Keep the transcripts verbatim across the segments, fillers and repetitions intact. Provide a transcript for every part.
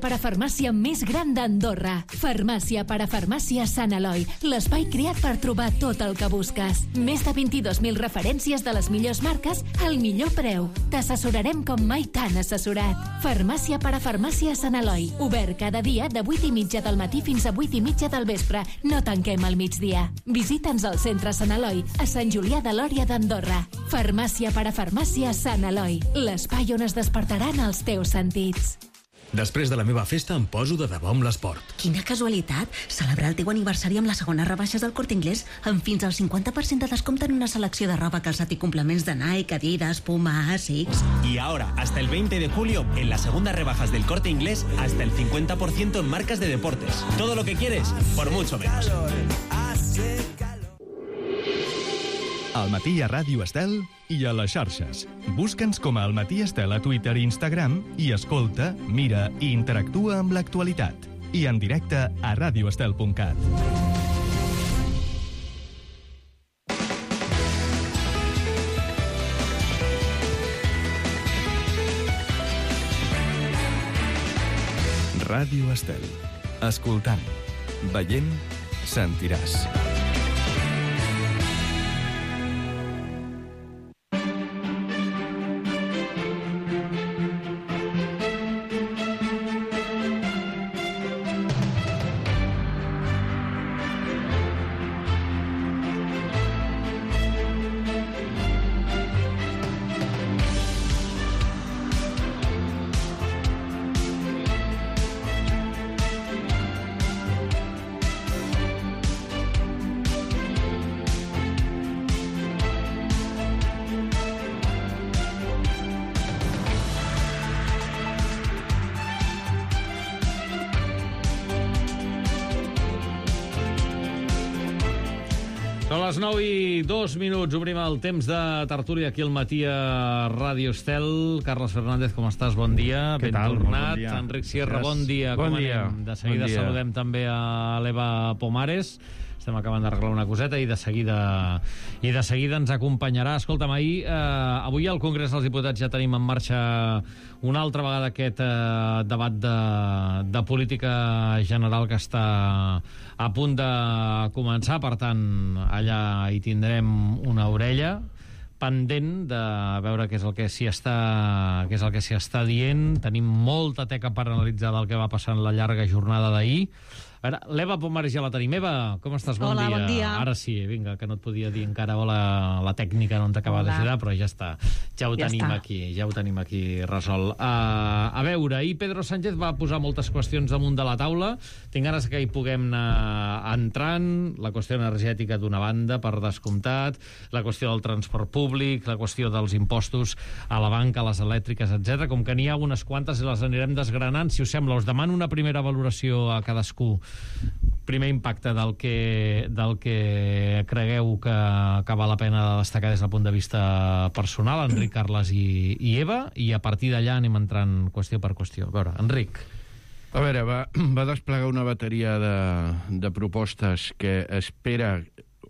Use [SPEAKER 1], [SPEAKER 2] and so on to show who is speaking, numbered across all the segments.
[SPEAKER 1] Parafarmàcia més gran d'Andorra. Farmàcia Parafarmàcia Sant Eloi, l'espai creat per trobar tot el que busques. Més de vint-i-dos mil referències de les millors marques al millor preu. T'assessorarem com mai t'han assessorat. Farmàcia Parafarmàcia Sant Eloi, obert cada dia de vuit i mitja del matí fins a vuit i mitja del vespre. No tanquem al migdia. Visita'ns al centre Sant Eloi, a Sant Julià de Lòria d'Andorra. Farmàcia Parafarmàcia Sant Eloi, l'espai on es despertaran els teus sentits.
[SPEAKER 2] Després de la meva festa em poso de debò amb l'esport.
[SPEAKER 3] Quina casualitat! Celebrar el teu aniversari amb les segones rebaixes del Corte Inglés amb fins al cincuenta per cent de descompte en una selecció de roba, calçat i complements de Nike, Adidas, Puma, Asics...
[SPEAKER 4] Y ahora, hasta el veinte de julio, en las segundas rebajas del Corte Inglés, hasta el cincuenta por ciento en marcas de deportes. Todo lo que quieres, por mucho menos.
[SPEAKER 5] Al matí a Ràdio Estel i a les xarxes. Busca'ns com a El Matí Estel a Twitter i Instagram i escolta, mira i interactua amb l'actualitat. I en directe a radioestel punt cat. Ràdio Estel. Escoltant, veient, sentiràs.
[SPEAKER 6] Són les nou i dos minuts. Obrim el temps de tertúlia aquí al matí a Ràdio Estel. Carles Fernández, com estàs? Bon dia.
[SPEAKER 7] Què
[SPEAKER 6] Ben
[SPEAKER 7] tal?
[SPEAKER 6] tornat.
[SPEAKER 7] Bon dia.
[SPEAKER 6] Enric Sierra, bon dia.
[SPEAKER 7] Bon
[SPEAKER 6] com
[SPEAKER 7] dia.
[SPEAKER 6] anem? De seguida
[SPEAKER 7] Bon dia.
[SPEAKER 6] saludem també a l'Eva Pomares. Estem acabant d'arreglar una coseta i de seguida i de seguida ens acompanyarà. Escolta'm, ahir, eh, avui al Congrés dels Diputats ja tenim en marxa una altra vegada aquest eh, debat de, de política general que està a punt de començar. Per tant, allà hi tindrem una orella pendent de veure què és el que s'hi està, què és el que s'hi està dient. Tenim molta teca per analitzar del que va passar en la llarga jornada d'ahir. A veure, l'Eva Pomares ja la tenim. Eva, com estàs? Bon
[SPEAKER 8] Hola,
[SPEAKER 6] dia.
[SPEAKER 8] bon dia.
[SPEAKER 6] Ara sí, vinga, que no et podia dir encara hola, la tècnica no ens acaba
[SPEAKER 8] Hola.
[SPEAKER 6] d'ajudar, però ja està. Ja ho
[SPEAKER 8] Ja
[SPEAKER 6] tenim
[SPEAKER 8] està.
[SPEAKER 6] aquí, ja ho tenim aquí resolt. Uh, a veure, ahir Pedro Sánchez va posar moltes qüestions damunt de la taula. Tinc ganes que hi puguem anar entrant. La qüestió energètica d'una banda, per descomptat, la qüestió del transport públic, la qüestió dels impostos a la banca, a les elèctriques, etcètera. Com que n'hi ha unes quantes i les anirem desgranant, si us sembla, us demano una primera valoració a cadascú. Primer impacte del que, del que cregueu que, que val la pena de destacar des del punt de vista personal, Enric, Carles i, i Eva, i a partir d'allà anem entrant qüestió per qüestió. A veure, Enric.
[SPEAKER 7] A veure, va, va desplegar una bateria de, de propostes que espera,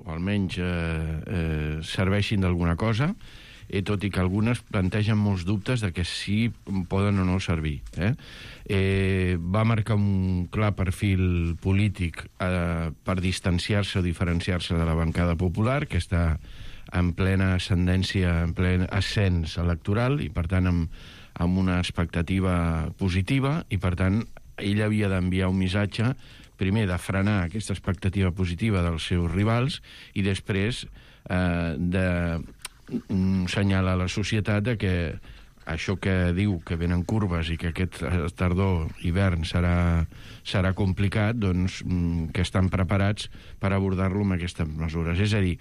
[SPEAKER 7] o almenys eh, eh, serveixin d'alguna cosa, i tot i que algunes plantegen molts dubtes de que sí poden o no servir. Eh? Eh, va marcar un clar perfil polític eh, per distanciar-se o diferenciar-se de la bancada popular, que està en plena ascendència, en plen ascens electoral, i per tant amb, amb una expectativa positiva, i per tant ell havia d'enviar un missatge, primer de frenar aquesta expectativa positiva dels seus rivals, i després eh, de senyala a la societat de que això que diu que venen curves i que aquest tardor, hivern serà, serà complicat, doncs que estan preparats per abordar-lo amb aquestes mesures. És a dir,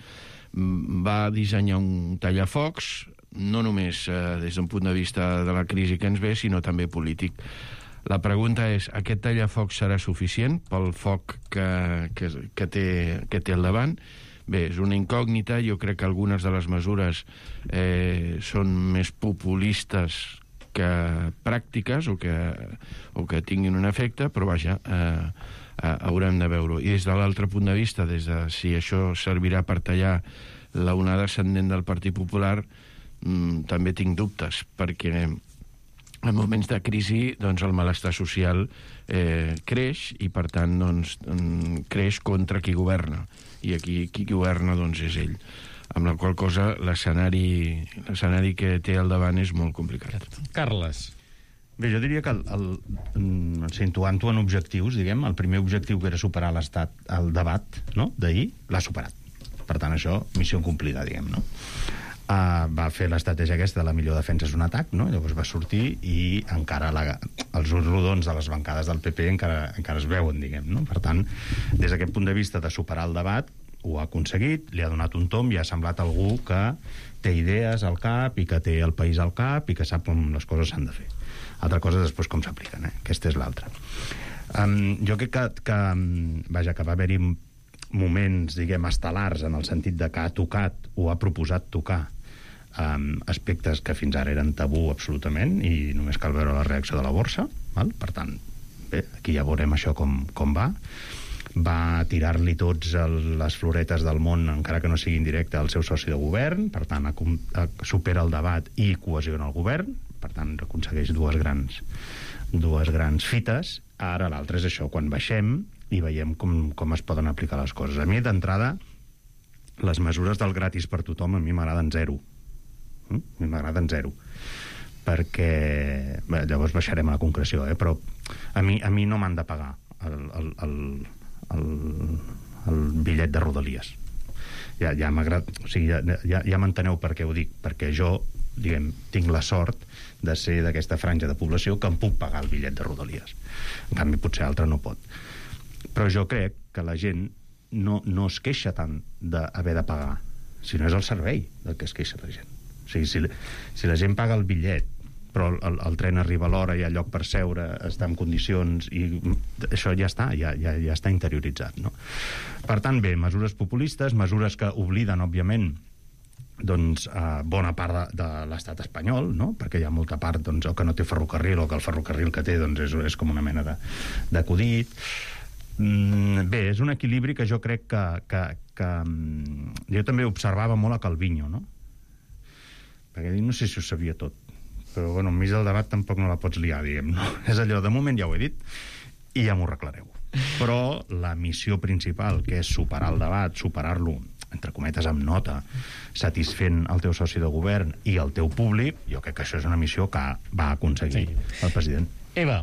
[SPEAKER 7] va dissenyar un tallafocs no només eh, des d'un punt de vista de la crisi que ens ve, sinó també polític. La pregunta és, aquest tallafocs serà suficient pel foc que, que, que, té, que té al davant? Bé, és una incògnita. Jo crec que algunes de les mesures eh, són més populistes que pràctiques o que, o que tinguin un efecte, però vaja, eh, eh, haurem de veure-ho. I des de l'altre punt de vista, des de si això servirà per tallar la onada ascendent del Partit Popular, mm, també tinc dubtes, perquè en moments de crisi, doncs, el malestar social eh, creix i, per tant, doncs, creix contra qui governa. I aquí qui governa, doncs, és ell. Amb la qual cosa l'escenari l'escenari que té al davant és molt complicat.
[SPEAKER 6] Carles.
[SPEAKER 8] Bé, jo diria que, el, el, situant-ho en objectius, diguem, el primer objectiu que era superar l'estat, el debat, no?, d'ahir, l'ha superat. Per tant, això, missió complida, diguem, no? Uh, va fer l'estratègia aquesta de la millor defensa és un atac, no? Llavors va sortir i encara la, els ulls rodons de les bancades del P P encara, encara es veuen, diguem, no? Per tant, des d'aquest punt de vista de superar el debat, ho ha aconseguit, li ha donat un tomb i ha semblat algú que té idees al cap i que té el país al cap i que sap com les coses s'han de fer. Altra cosa és després com s'apliquen, eh? Aquesta és l'altra. Um, jo crec que, que, vaja, que va haver-hi moments, diguem, estel·lars en el sentit de que ha tocat o ha proposat tocar um, aspectes que fins ara eren tabú absolutament i només cal veure la reacció de la borsa, val? Per tant, bé, aquí ja veurem això com, com va. Va tirar-li tots el, les floretes del món, encara que no sigui en directe, al seu soci de govern, per tant, a, a, supera el debat i cohesiona el govern, per tant, aconsegueix dues grans, dues grans fites. Ara l'altre és això, quan baixem i veiem com, com es poden aplicar les coses. A mi, d'entrada, les mesures del gratis per tothom a mi m'agraden zero. Mm? A mi m'agraden zero. Perquè... Bé, llavors baixarem a la concreció, eh? Però a mi, a mi no m'han de pagar el... el, el El, el bitllet de Rodalies. Ja, ja m'agrada, o sigui, ja, ja, ja m'enteneu per què ho dic, perquè jo, diguem, tinc la sort de ser d'aquesta franja de població que em puc pagar el bitllet de Rodalies. En canvi, potser altre no pot. Però jo crec que la gent no, no es queixa tant d'haver de pagar, sinó és el servei del que es queixa la gent. O sigui, si, si la gent paga el bitllet però el, el tren arriba a l'hora, hi ha lloc per seure, està en condicions, i això ja està, ja, ja, ja està interioritzat, no? Per tant, bé, mesures populistes, mesures que obliden, òbviament, doncs, eh, bona part de, de l'estat espanyol, no? Perquè hi ha molta part, doncs, o que no té ferrocarril, o que el ferrocarril que té, doncs, és, és com una mena de, d'acudit. Mm, bé, és un equilibri que jo crec que, que, que... Jo també observava molt a Calviño, no? Perquè no sé si ho sabia tot, però, bueno, enmig del debat tampoc no la pots liar, diguem, no? És allò, de moment ja ho he dit, i ja m'ho arreglareu. Però la missió principal, que és superar el debat, superar-lo, entre cometes, amb nota, satisfent el teu soci de govern i el teu públic, jo crec que això és una missió que va aconseguir sí. el president.
[SPEAKER 6] Eva.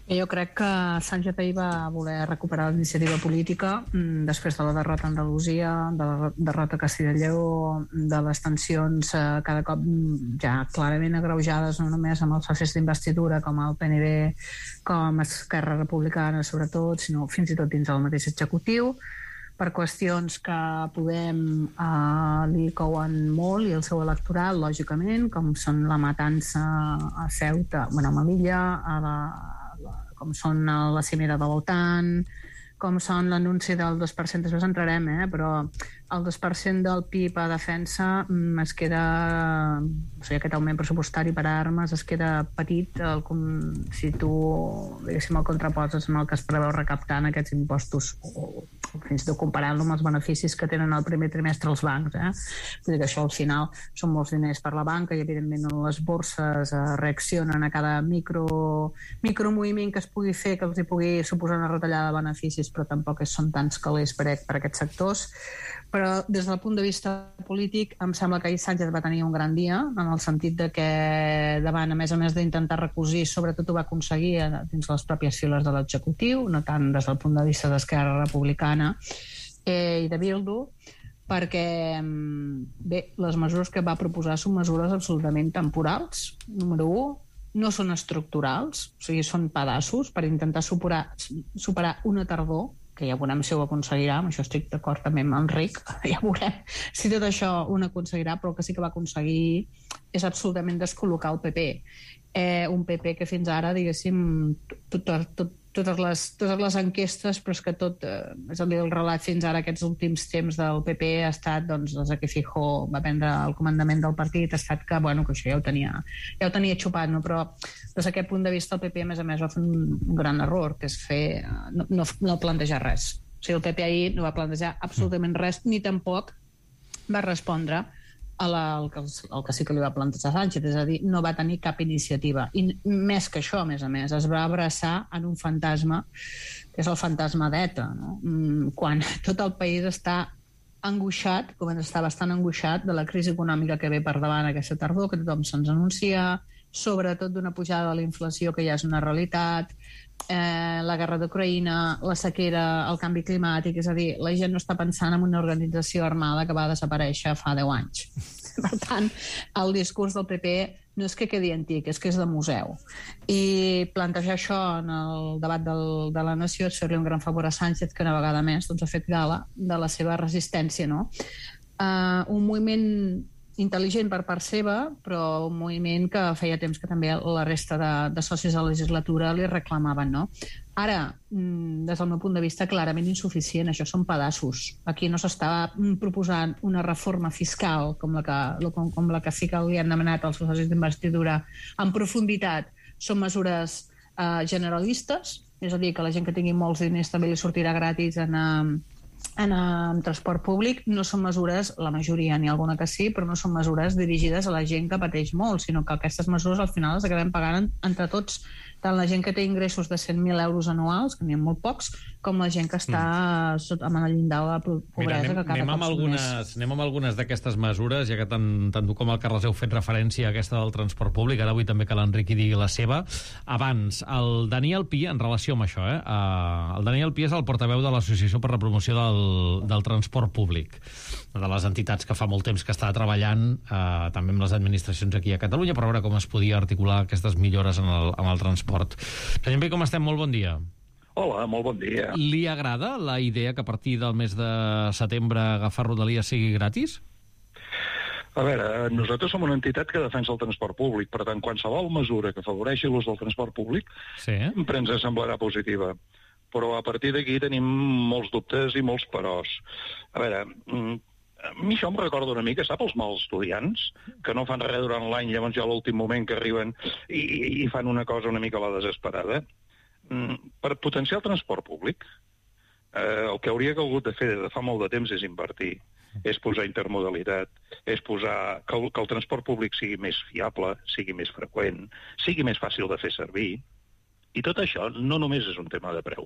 [SPEAKER 9] Jo crec que Sánchez ahir va voler recuperar l'iniciativa política després de la derrota a Andalusia, de la derrota a Castilla i Lleó, de les tensions eh, cada cop ja clarament agreujades no només amb els socis d'investidura com el P N B, com Esquerra Republicana sobretot, sinó fins i tot dins del mateix executiu, per qüestions que Podem eh, li couen molt i el seu electorat, lògicament, com són la matança a Ceuta, bueno, a Melilla, a la com són la cimera de l'OTAN, com són l'anunci del dos per cent, després entrarem, eh? Però el dos per cent del P I B a defensa es queda, o sigui, aquest augment pressupostari per a armes es queda petit el, si tu, diguéssim, el contraposes amb el que es preveu recaptar en aquests impostos, o, o fins i tot comparant-lo amb els beneficis que tenen el primer trimestre els bancs, eh? Vull dir que això al final són molts diners per la banca i evidentment les borses eh, reaccionen a cada micro, micromoviment que es pugui fer que els hi pugui suposar una retallada de beneficis, però tampoc són tants calés per, per aquests sectors. Però des del punt de vista polític em sembla que ahir Sánchez va tenir un gran dia en el sentit de que davant, a més a més d'intentar recosir, sobretot ho va aconseguir dins les pròpies files de l'executiu, no tant des del punt de vista d'Esquerra Republicana eh, i de Bildu, perquè bé, les mesures que va proposar són mesures absolutament temporals. Número u, no són estructurals, o sigui, són pedaços per intentar superar, superar una tardor, que ja veurem si ho aconseguirà, amb això estic d'acord també amb Enric, ja veurem si tot això ho aconseguirà, però el que sí que va aconseguir és absolutament descol·locar el P P. Eh, un P P que fins ara, diguéssim, tot, tot, tot, totes, les, totes les enquestes, però és que tot, eh, és el, el relat fins ara, aquests últims temps del P P ha estat, doncs, des que Feijóo va prendre el comandament del partit, ha estat que, bueno, que això ja ho tenia, ja ho tenia xupat, no? Però des d'aquest punt de vista el P P, a més a més, va fer un gran error, que és fer, no, no, no plantejar res. O sigui, el P P ahir no va plantejar absolutament res, ni tampoc va respondre a la, el, que, el que sí que li va plantejar Sánchez, és a dir, no va tenir cap iniciativa. I més que això, a més a més, es va abraçar en un fantasma, que és el fantasma d'ETA, no? Quan tot el país està angoixat, comença a estar bastant angoixat de la crisi econòmica que ve per davant aquesta tardor, que tothom se'ns anuncia, sobretot d'una pujada de la inflació que ja és una realitat, eh, la guerra d'Ucraïna, la sequera, el canvi climàtic, és a dir, la gent no està pensant en una organització armada que va desaparèixer fa deu anys. Per tant, el discurs del P P no és que quedi antic, és que és de museu. I plantejar això en el debat del, de la nació és fer-li un gran favor a Sánchez, que una vegada més doncs, ha fet gala de la seva resistència, no? Uh, un moviment intel·ligent per part seva, però un moviment que feia temps que també la resta de, de socis de la legislatura li reclamaven, no? Ara, des del meu punt de vista, clarament insuficient. Això són pedaços. Aquí no s'està proposant una reforma fiscal com la que, com, com la que sí que li han demanat els socis d'investidura en profunditat. Són mesures eh, generalistes, és a dir, que la gent que tingui molts diners també li sortirà gratis en... Eh, en el transport públic. No són mesures, la majoria, n'hi ha alguna que sí, però no són mesures dirigides a la gent que pateix molt, sinó que aquestes mesures al final les acabem pagant entre tots, tant la gent que té ingressos de cent mil euros anuals, que n'hi ha molt pocs, com la gent que està mm. amb el llindar de la pobresa. Mira, anem, que cada
[SPEAKER 6] anem, amb algunes, anem amb algunes d'aquestes mesures, ja que tant, tant tu com el Carles heu fet referència a aquesta del transport públic, ara vull també que l'Enric hi digui la seva. Abans, el Daniel Pi, en relació amb això, eh, el Daniel Pi és el portaveu de l'Associació per la Promoció del, del Transport Públic, una de les entitats que fa molt temps que està treballant eh, també amb les administracions aquí a Catalunya per veure com es podia articular aquestes millores en el, en el transport. Senyor Pi, com estem? Molt bon dia.
[SPEAKER 10] Hola, molt bon dia.
[SPEAKER 6] Li agrada la idea que a partir del mes de setembre agafar Rodalies sigui gratis?
[SPEAKER 10] A veure, nosaltres som una entitat que defensa el transport públic, per tant, qualsevol mesura que afavoreixi l'ús del transport públic sí. sempre ens semblarà positiva. Però a partir d'aquí tenim molts dubtes i molts peròs. A veure, a mi això em recorda una mica, sap, els mals estudiants, que no fan res durant l'any, llavors ja a l'últim moment que arriben i, i fan una cosa una mica a la desesperada. Per potenciar el transport públic, eh, el que hauria hagut de fer des de fa molt de temps és invertir, és posar intermodalitat, és posar que el, que el transport públic sigui més fiable, sigui més freqüent, sigui més fàcil de fer servir. I tot això no només és un tema de preu.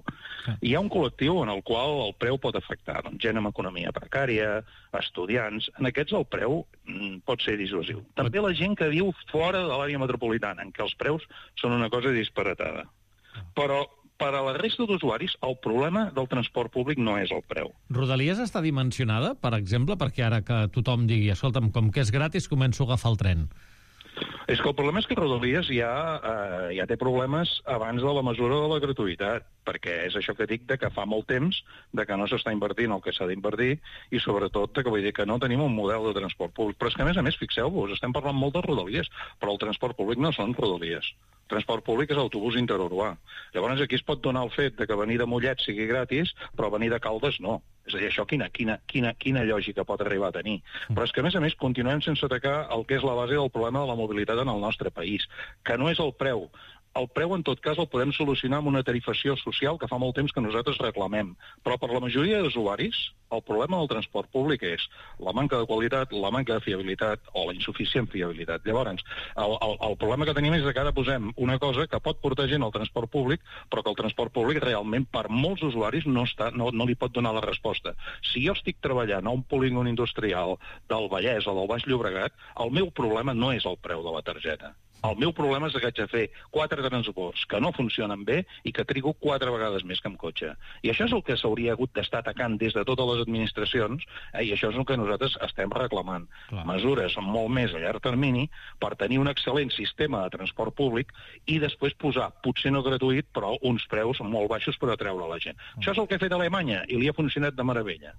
[SPEAKER 10] Hi ha un col·lectiu en el qual el preu pot afectar, doncs, gent amb economia precària, estudiants. En aquests el preu mm, pot ser dissuasiu. També la gent que viu fora de l'àrea metropolitana, en què els preus són una cosa disparatada. Però per a la resta d'usuaris el problema del transport públic no és el preu.
[SPEAKER 6] Rodalies està dimensionada, per exemple, perquè ara que tothom digui, escolta'm, com que és gratis, començo a agafar el tren.
[SPEAKER 10] És que el problema és que Rodalies ja, eh, ja té problemes abans de la mesura de la gratuïtat, perquè és això que dic de que fa molt temps de que no s'està invertint el que s'ha d'invertir i sobretot de que vull dir que no tenim un model de transport públic. Però és que a més a més, fixeu-vos, estem parlant molt de Rodalies, però el transport públic no són Rodalies. El transport públic és autobús interurbà. Llavors aquí es pot donar el fet de que venir de Mollet sigui gratis, però venir de Caldes no. És a dir, això quina, quina, quina, quina lògica pot arribar a tenir. Però és que, a més a més, continuem sense atacar el que és la base del problema de la mobilitat en el nostre país, que no és el preu. El preu, en tot cas, el podem solucionar amb una tarifació social que fa molt temps que nosaltres reclamem. Però per la majoria d'usuaris, el problema del transport públic és la manca de qualitat, la manca de fiabilitat o la insuficient fiabilitat. Llavors, el, el, el problema que tenim és que ara posem una cosa que pot portar gent al transport públic, però que el transport públic realment per molts usuaris no, està, no, no li pot donar la resposta. Si jo estic treballant a un polígon industrial del Vallès o del Baix Llobregat, el meu problema no és el preu de la targeta. El meu problema és que haig de fer quatre transports que no funcionen bé i que trigo quatre vegades més que amb cotxe. I això és el que s'hauria hagut d'estar atacant des de totes les administracions, eh, i això és el que nosaltres estem reclamant. Clar. Mesures molt més a llarg termini per tenir un excel·lent sistema de transport públic i després posar, potser no gratuït, però uns preus molt baixos per atreure la gent. Mm. Això és el que ha fet Alemanya i li ha funcionat de meravella.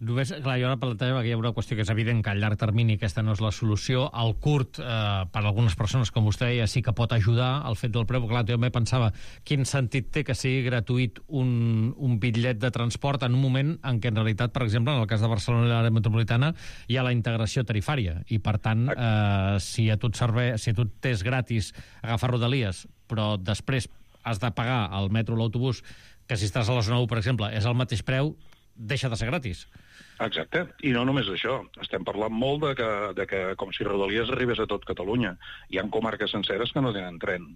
[SPEAKER 6] Només, clar, jo ara plantejava que hi ha una qüestió que és evident que a llarg termini aquesta no és la solució. Al curt, eh, per a algunes persones, com vostè deia, sí que pot ajudar el fet del preu. Clar, jo també pensava quin sentit té que sigui gratuït un, un bitllet de transport en un moment en què en realitat, per exemple, en el cas de Barcelona i l'àrea metropolitana, hi ha la integració tarifària i, per tant, eh, si a tu et serveix, si a tu t'és gratis agafar Rodalies, però després has de pagar el metro o l'autobús, que si estàs a la zona u, per exemple, és el mateix preu, deixa de ser gratis.
[SPEAKER 10] Exacte, i no només això. Estem parlant molt de que, de que com si Rodalies arribés a tot Catalunya. Hi ha comarques senceres que no tenen tren.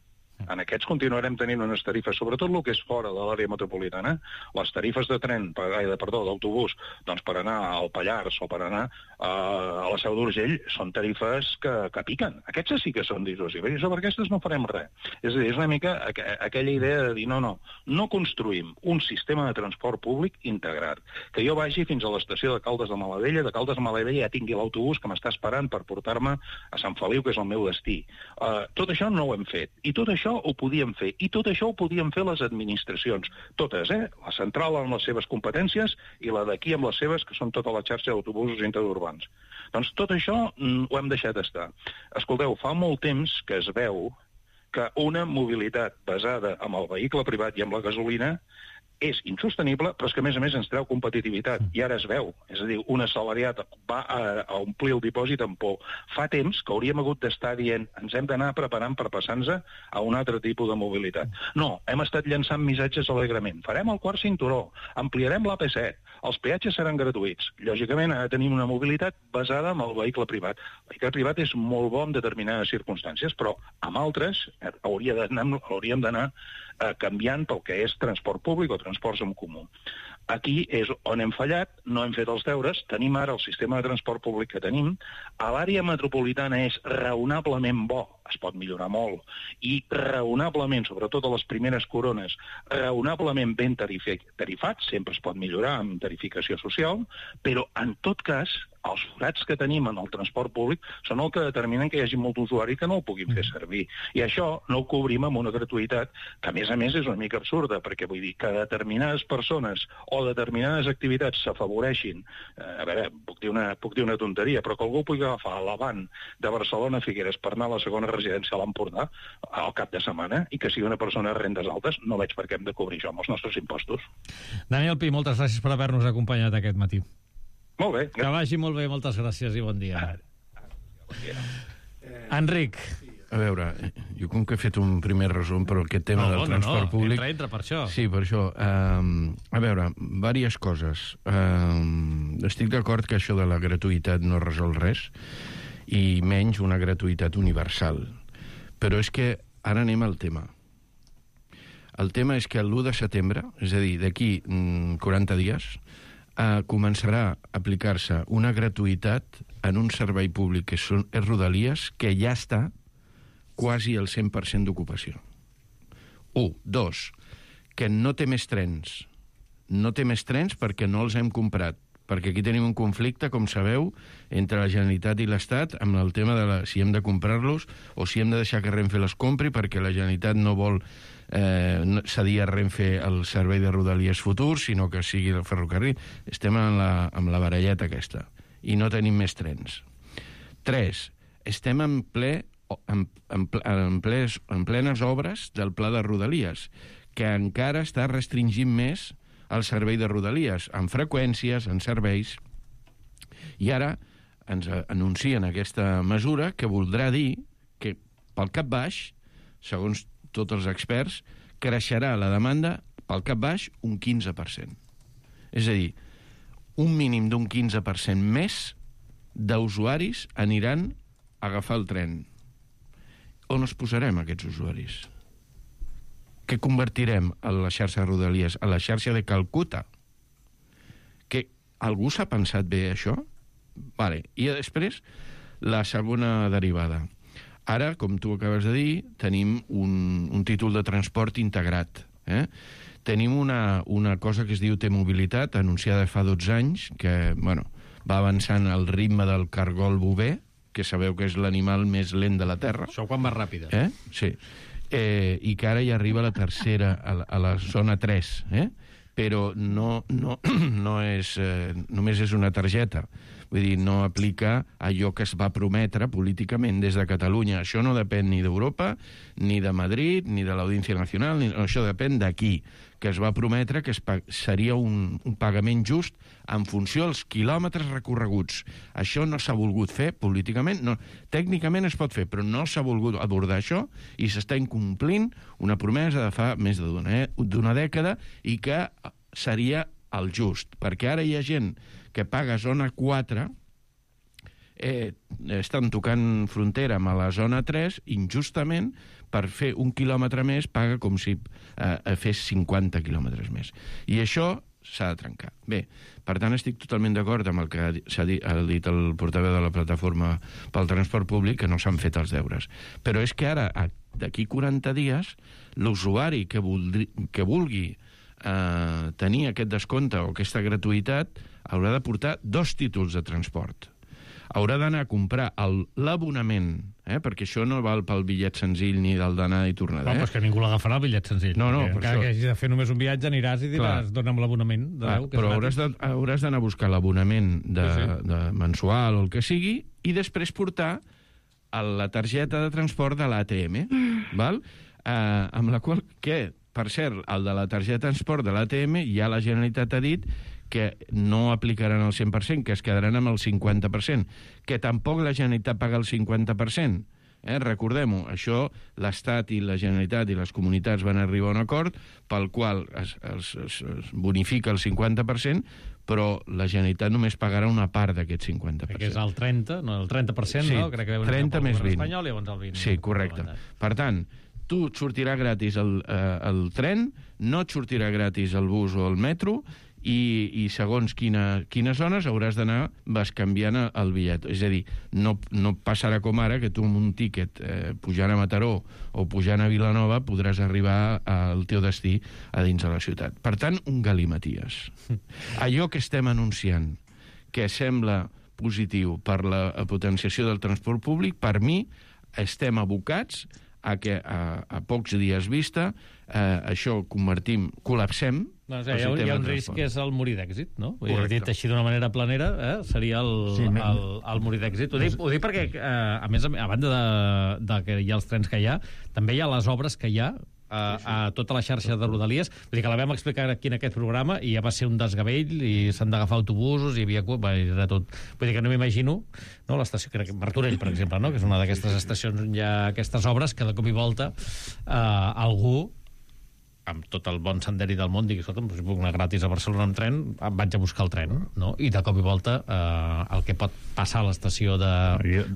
[SPEAKER 10] En aquests continuarem tenint unes tarifes, sobretot el que és fora de l'àrea metropolitana, les tarifes de tren, de, perdó, d'autobús, doncs per anar al Pallars o per anar uh, a la Seu d'Urgell, són tarifes que, que piquen. Aquestes sí que són dissuasives, i sobre aquestes no farem res. És a dir, és una mica aqu aquella idea de dir, no, no, no construïm un sistema de transport públic integrat, que jo vagi fins a l'estació de Caldes de Malavella, de Caldes de Malavella ja tingui l'autobús que m'està esperant per portar-me a Sant Feliu, que és el meu destí. Uh, tot això no ho hem fet, i tot això ho podíem fer, i tot això ho podien fer les administracions, totes, eh? La central amb les seves competències i la d'aquí amb les seves, que són tota la xarxa d'autobusos interurbans. Doncs tot això mm, ho hem deixat estar. Escolteu, fa molt temps que es veu que una mobilitat basada en el vehicle privat i amb la gasolina és insostenible, però és que, a més a més, ens treu competitivitat. I ara es veu. És a dir, un assalariat va a, a omplir el dipòsit amb por. Fa temps que hauríem hagut d'estar dient ens hem d'anar preparant per passar-nos a un altre tipus de mobilitat. No, hem estat llançant missatges alegrement. Farem el quart cinturó, ampliarem l'A P set, els peatges seran gratuïts. Lògicament, ara tenim una mobilitat basada en el vehicle privat. El vehicle privat és molt bo en determinades circumstàncies, però amb altres hauria d'anar, hauríem d'anar eh, canviant pel que és transport públic o transports en comú. Aquí és on hem fallat, no hem fet els deures, tenim ara el sistema de transport públic que tenim, a l'àrea metropolitana és raonablement bo, es pot millorar molt, i raonablement, sobretot a les primeres corones, raonablement ben tarifat, sempre es pot millorar amb tarificació social, però en tot cas, els forats que tenim en el transport públic són el que determinen que hi hagi molt usuari que no el puguin fer servir. I això no ho cobrim amb una gratuïtat que, a més a més, és una mica absurda, perquè vull dir que determinades persones o determinades activitats s'afavoreixin. Eh, a veure, puc dir, una, puc dir una tonteria, però que algú pugui agafar l'avant de Barcelona a Figueres per anar a la segona residència a l'Empordà al cap de setmana i que sigui una persona de rendes altes, no veig per què hem de cobrir això amb els nostres impostos.
[SPEAKER 6] Daniel Pi, moltes gràcies per haver-nos acompanyat aquest matí.
[SPEAKER 10] Molt bé.
[SPEAKER 6] Que vagi molt bé, moltes gràcies i bon dia.
[SPEAKER 10] Bon dia.
[SPEAKER 6] Enric.
[SPEAKER 7] A veure, jo com que he fet un primer resum per aquest tema
[SPEAKER 6] no,
[SPEAKER 7] del
[SPEAKER 6] no,
[SPEAKER 7] transport
[SPEAKER 6] no,
[SPEAKER 7] públic...
[SPEAKER 6] Entra, entra per això.
[SPEAKER 7] Sí, per això. Um, a veure, diverses coses. Um, estic d'acord que això de la gratuïtat no resol res, i menys una gratuïtat universal. Però és que ara anem al tema. El tema és que l'u de setembre, és a dir, d'aquí quaranta dies, eh, començarà a aplicar-se una gratuïtat en un servei públic que són, és Rodalies, que ja està quasi el cent per cent d'ocupació. Un. Dos, que no té més trens. No té més trens perquè no els hem comprat, perquè aquí tenim un conflicte, com sabeu, entre la Generalitat i l'Estat amb el tema de la, si hem de comprar-los o si hem de deixar que Renfe les compri, perquè la Generalitat no vol eh, cedir a Renfe el servei de Rodalies futur, sinó que sigui el ferrocarril. Estem en la, amb la baralleta aquesta i no tenim més trens. Tres, estem en ple en, en, en, ples, en plenes obres del pla de Rodalies, que encara està restringint més el servei de Rodalies, en freqüències, en serveis. I ara ens anuncien aquesta mesura que voldrà dir que, pel cap baix, segons tots els experts, creixerà la demanda pel cap baix un quinze per cent. És a dir, un mínim d'un quinze per cent més d'usuaris aniran a agafar el tren. On els posarem, aquests usuaris? Que convertirem a la xarxa de Rodalies a la xarxa de Calcuta? Que algú s'ha pensat bé això? Vale. I després, la segona derivada. Ara, com tu acabes de dir, tenim un, un títol de transport integrat. Eh? Tenim una, una cosa que es diu T-Mobilitat, anunciada fa dotze anys, que bueno, va avançant al ritme del cargol bover, que sabeu que és l'animal més lent de la Terra.
[SPEAKER 6] Això quan va ràpida.
[SPEAKER 7] Eh? Sí. Eh, i que ara ja arriba a la tercera, a la, a la zona tres, eh? Però no, no, no és, eh, només és una targeta. Vull dir, no aplica allò que es va prometre políticament des de Catalunya. Això no depèn ni d'Europa, ni de Madrid, ni de l'Audiència Nacional, ni... això depèn d'aquí, que es va prometre que es pa... seria un, un pagament just en funció dels quilòmetres recorreguts. Això no s'ha volgut fer políticament, no. Tècnicament es pot fer, però no s'ha volgut abordar això i s'està incomplint una promesa de fa més d'una d'una dècada i que seria el just, perquè ara hi ha gent que paga zona quatre, eh, estan tocant frontera amb la zona tres, injustament, per fer un quilòmetre més, paga com si eh, fes cinquanta quilòmetres més. I això s'ha de trencar. Bé, per tant, estic totalment d'acord amb el que s'ha dit, ha dit el portaveu de la plataforma pel transport públic, que no s'han fet els deures. Però és que ara, d'aquí quaranta dies, l'usuari que, voldri, que vulgui eh, tenir aquest descompte o aquesta gratuïtat haurà de portar dos títols de transport. Haurà d'anar a comprar l'abonament, eh, perquè això no val pel bitllet senzill ni del d'anar i tornar.
[SPEAKER 6] No,
[SPEAKER 7] eh?
[SPEAKER 6] però és que ningú l'agafarà el bitllet senzill.
[SPEAKER 7] No, no, per
[SPEAKER 6] encara
[SPEAKER 7] això.
[SPEAKER 6] que hagis de fer només un viatge, aniràs i diràs, dona'm l'abonament.
[SPEAKER 7] Clar, però hauràs de, hauràs d'anar a buscar l'abonament de,
[SPEAKER 6] Sí, sí.
[SPEAKER 7] de mensual o el que sigui i després portar a la targeta de transport de l'A T M, val? Eh, amb la qual, que, per cert, el de la targeta de transport de l'A T M ja la Generalitat ha dit que no aplicaran el cent per cent, que es quedaran amb el cinquanta per cent, que tampoc la Generalitat paga el cinquanta per cent. Eh? Recordem-ho, això l'Estat i la Generalitat i les comunitats van arribar a un acord pel qual es, es, es, es bonifica el cinquanta per cent, però la Generalitat només pagarà una part d'aquest cinquanta per cent.
[SPEAKER 6] Que és el trenta, no, el trenta per cent,
[SPEAKER 7] sí,
[SPEAKER 6] no? Crec que
[SPEAKER 7] trenta més vint.
[SPEAKER 6] Espanyol, i llavors el vint.
[SPEAKER 7] Sí, correcte. Per tant, tu et sortirà gratis el, eh, el tren, no et sortirà gratis el bus o el metro, i, i segons quina, quines zones hauràs d'anar bescanviant el bitllet. És a dir, no, no passarà com ara que tu amb un tíquet eh, pujant a Mataró o pujant a Vilanova podràs arribar al teu destí a dins de la ciutat. Per tant, un galimaties. Allò que estem anunciant que sembla positiu per la potenciació del transport públic, per mi estem abocats a que a, a pocs dies vista eh, això convertim, col·lapsem.
[SPEAKER 6] No, o sigui, hi, ha, hi ha un risc que és el morir d'èxit, no? Vull dir, dit així d'una manera planera, eh? Seria el, sí, el, el morir d'èxit. Ho dic, ho dic perquè, eh, a més, a banda de, de que hi ha els trens que hi ha, també hi ha les obres que hi ha a, a tota la xarxa de Rodalies. Vull dir que la vam explicar aquí en aquest programa i ja va ser un desgavell i s'han d'agafar autobusos, hi havia... Era tot. Vull dir que no m'imagino, no? L'estació, crec que Martorell, per exemple, no? Que és una d'aquestes estacions on hi ha aquestes obres que de cop i volta eh, algú amb tot el bon senderi del món, digui, escolta'm, si puc anar gratis a Barcelona amb tren, vaig a buscar el tren, no? I de cop i volta eh, el que pot passar a l'estació de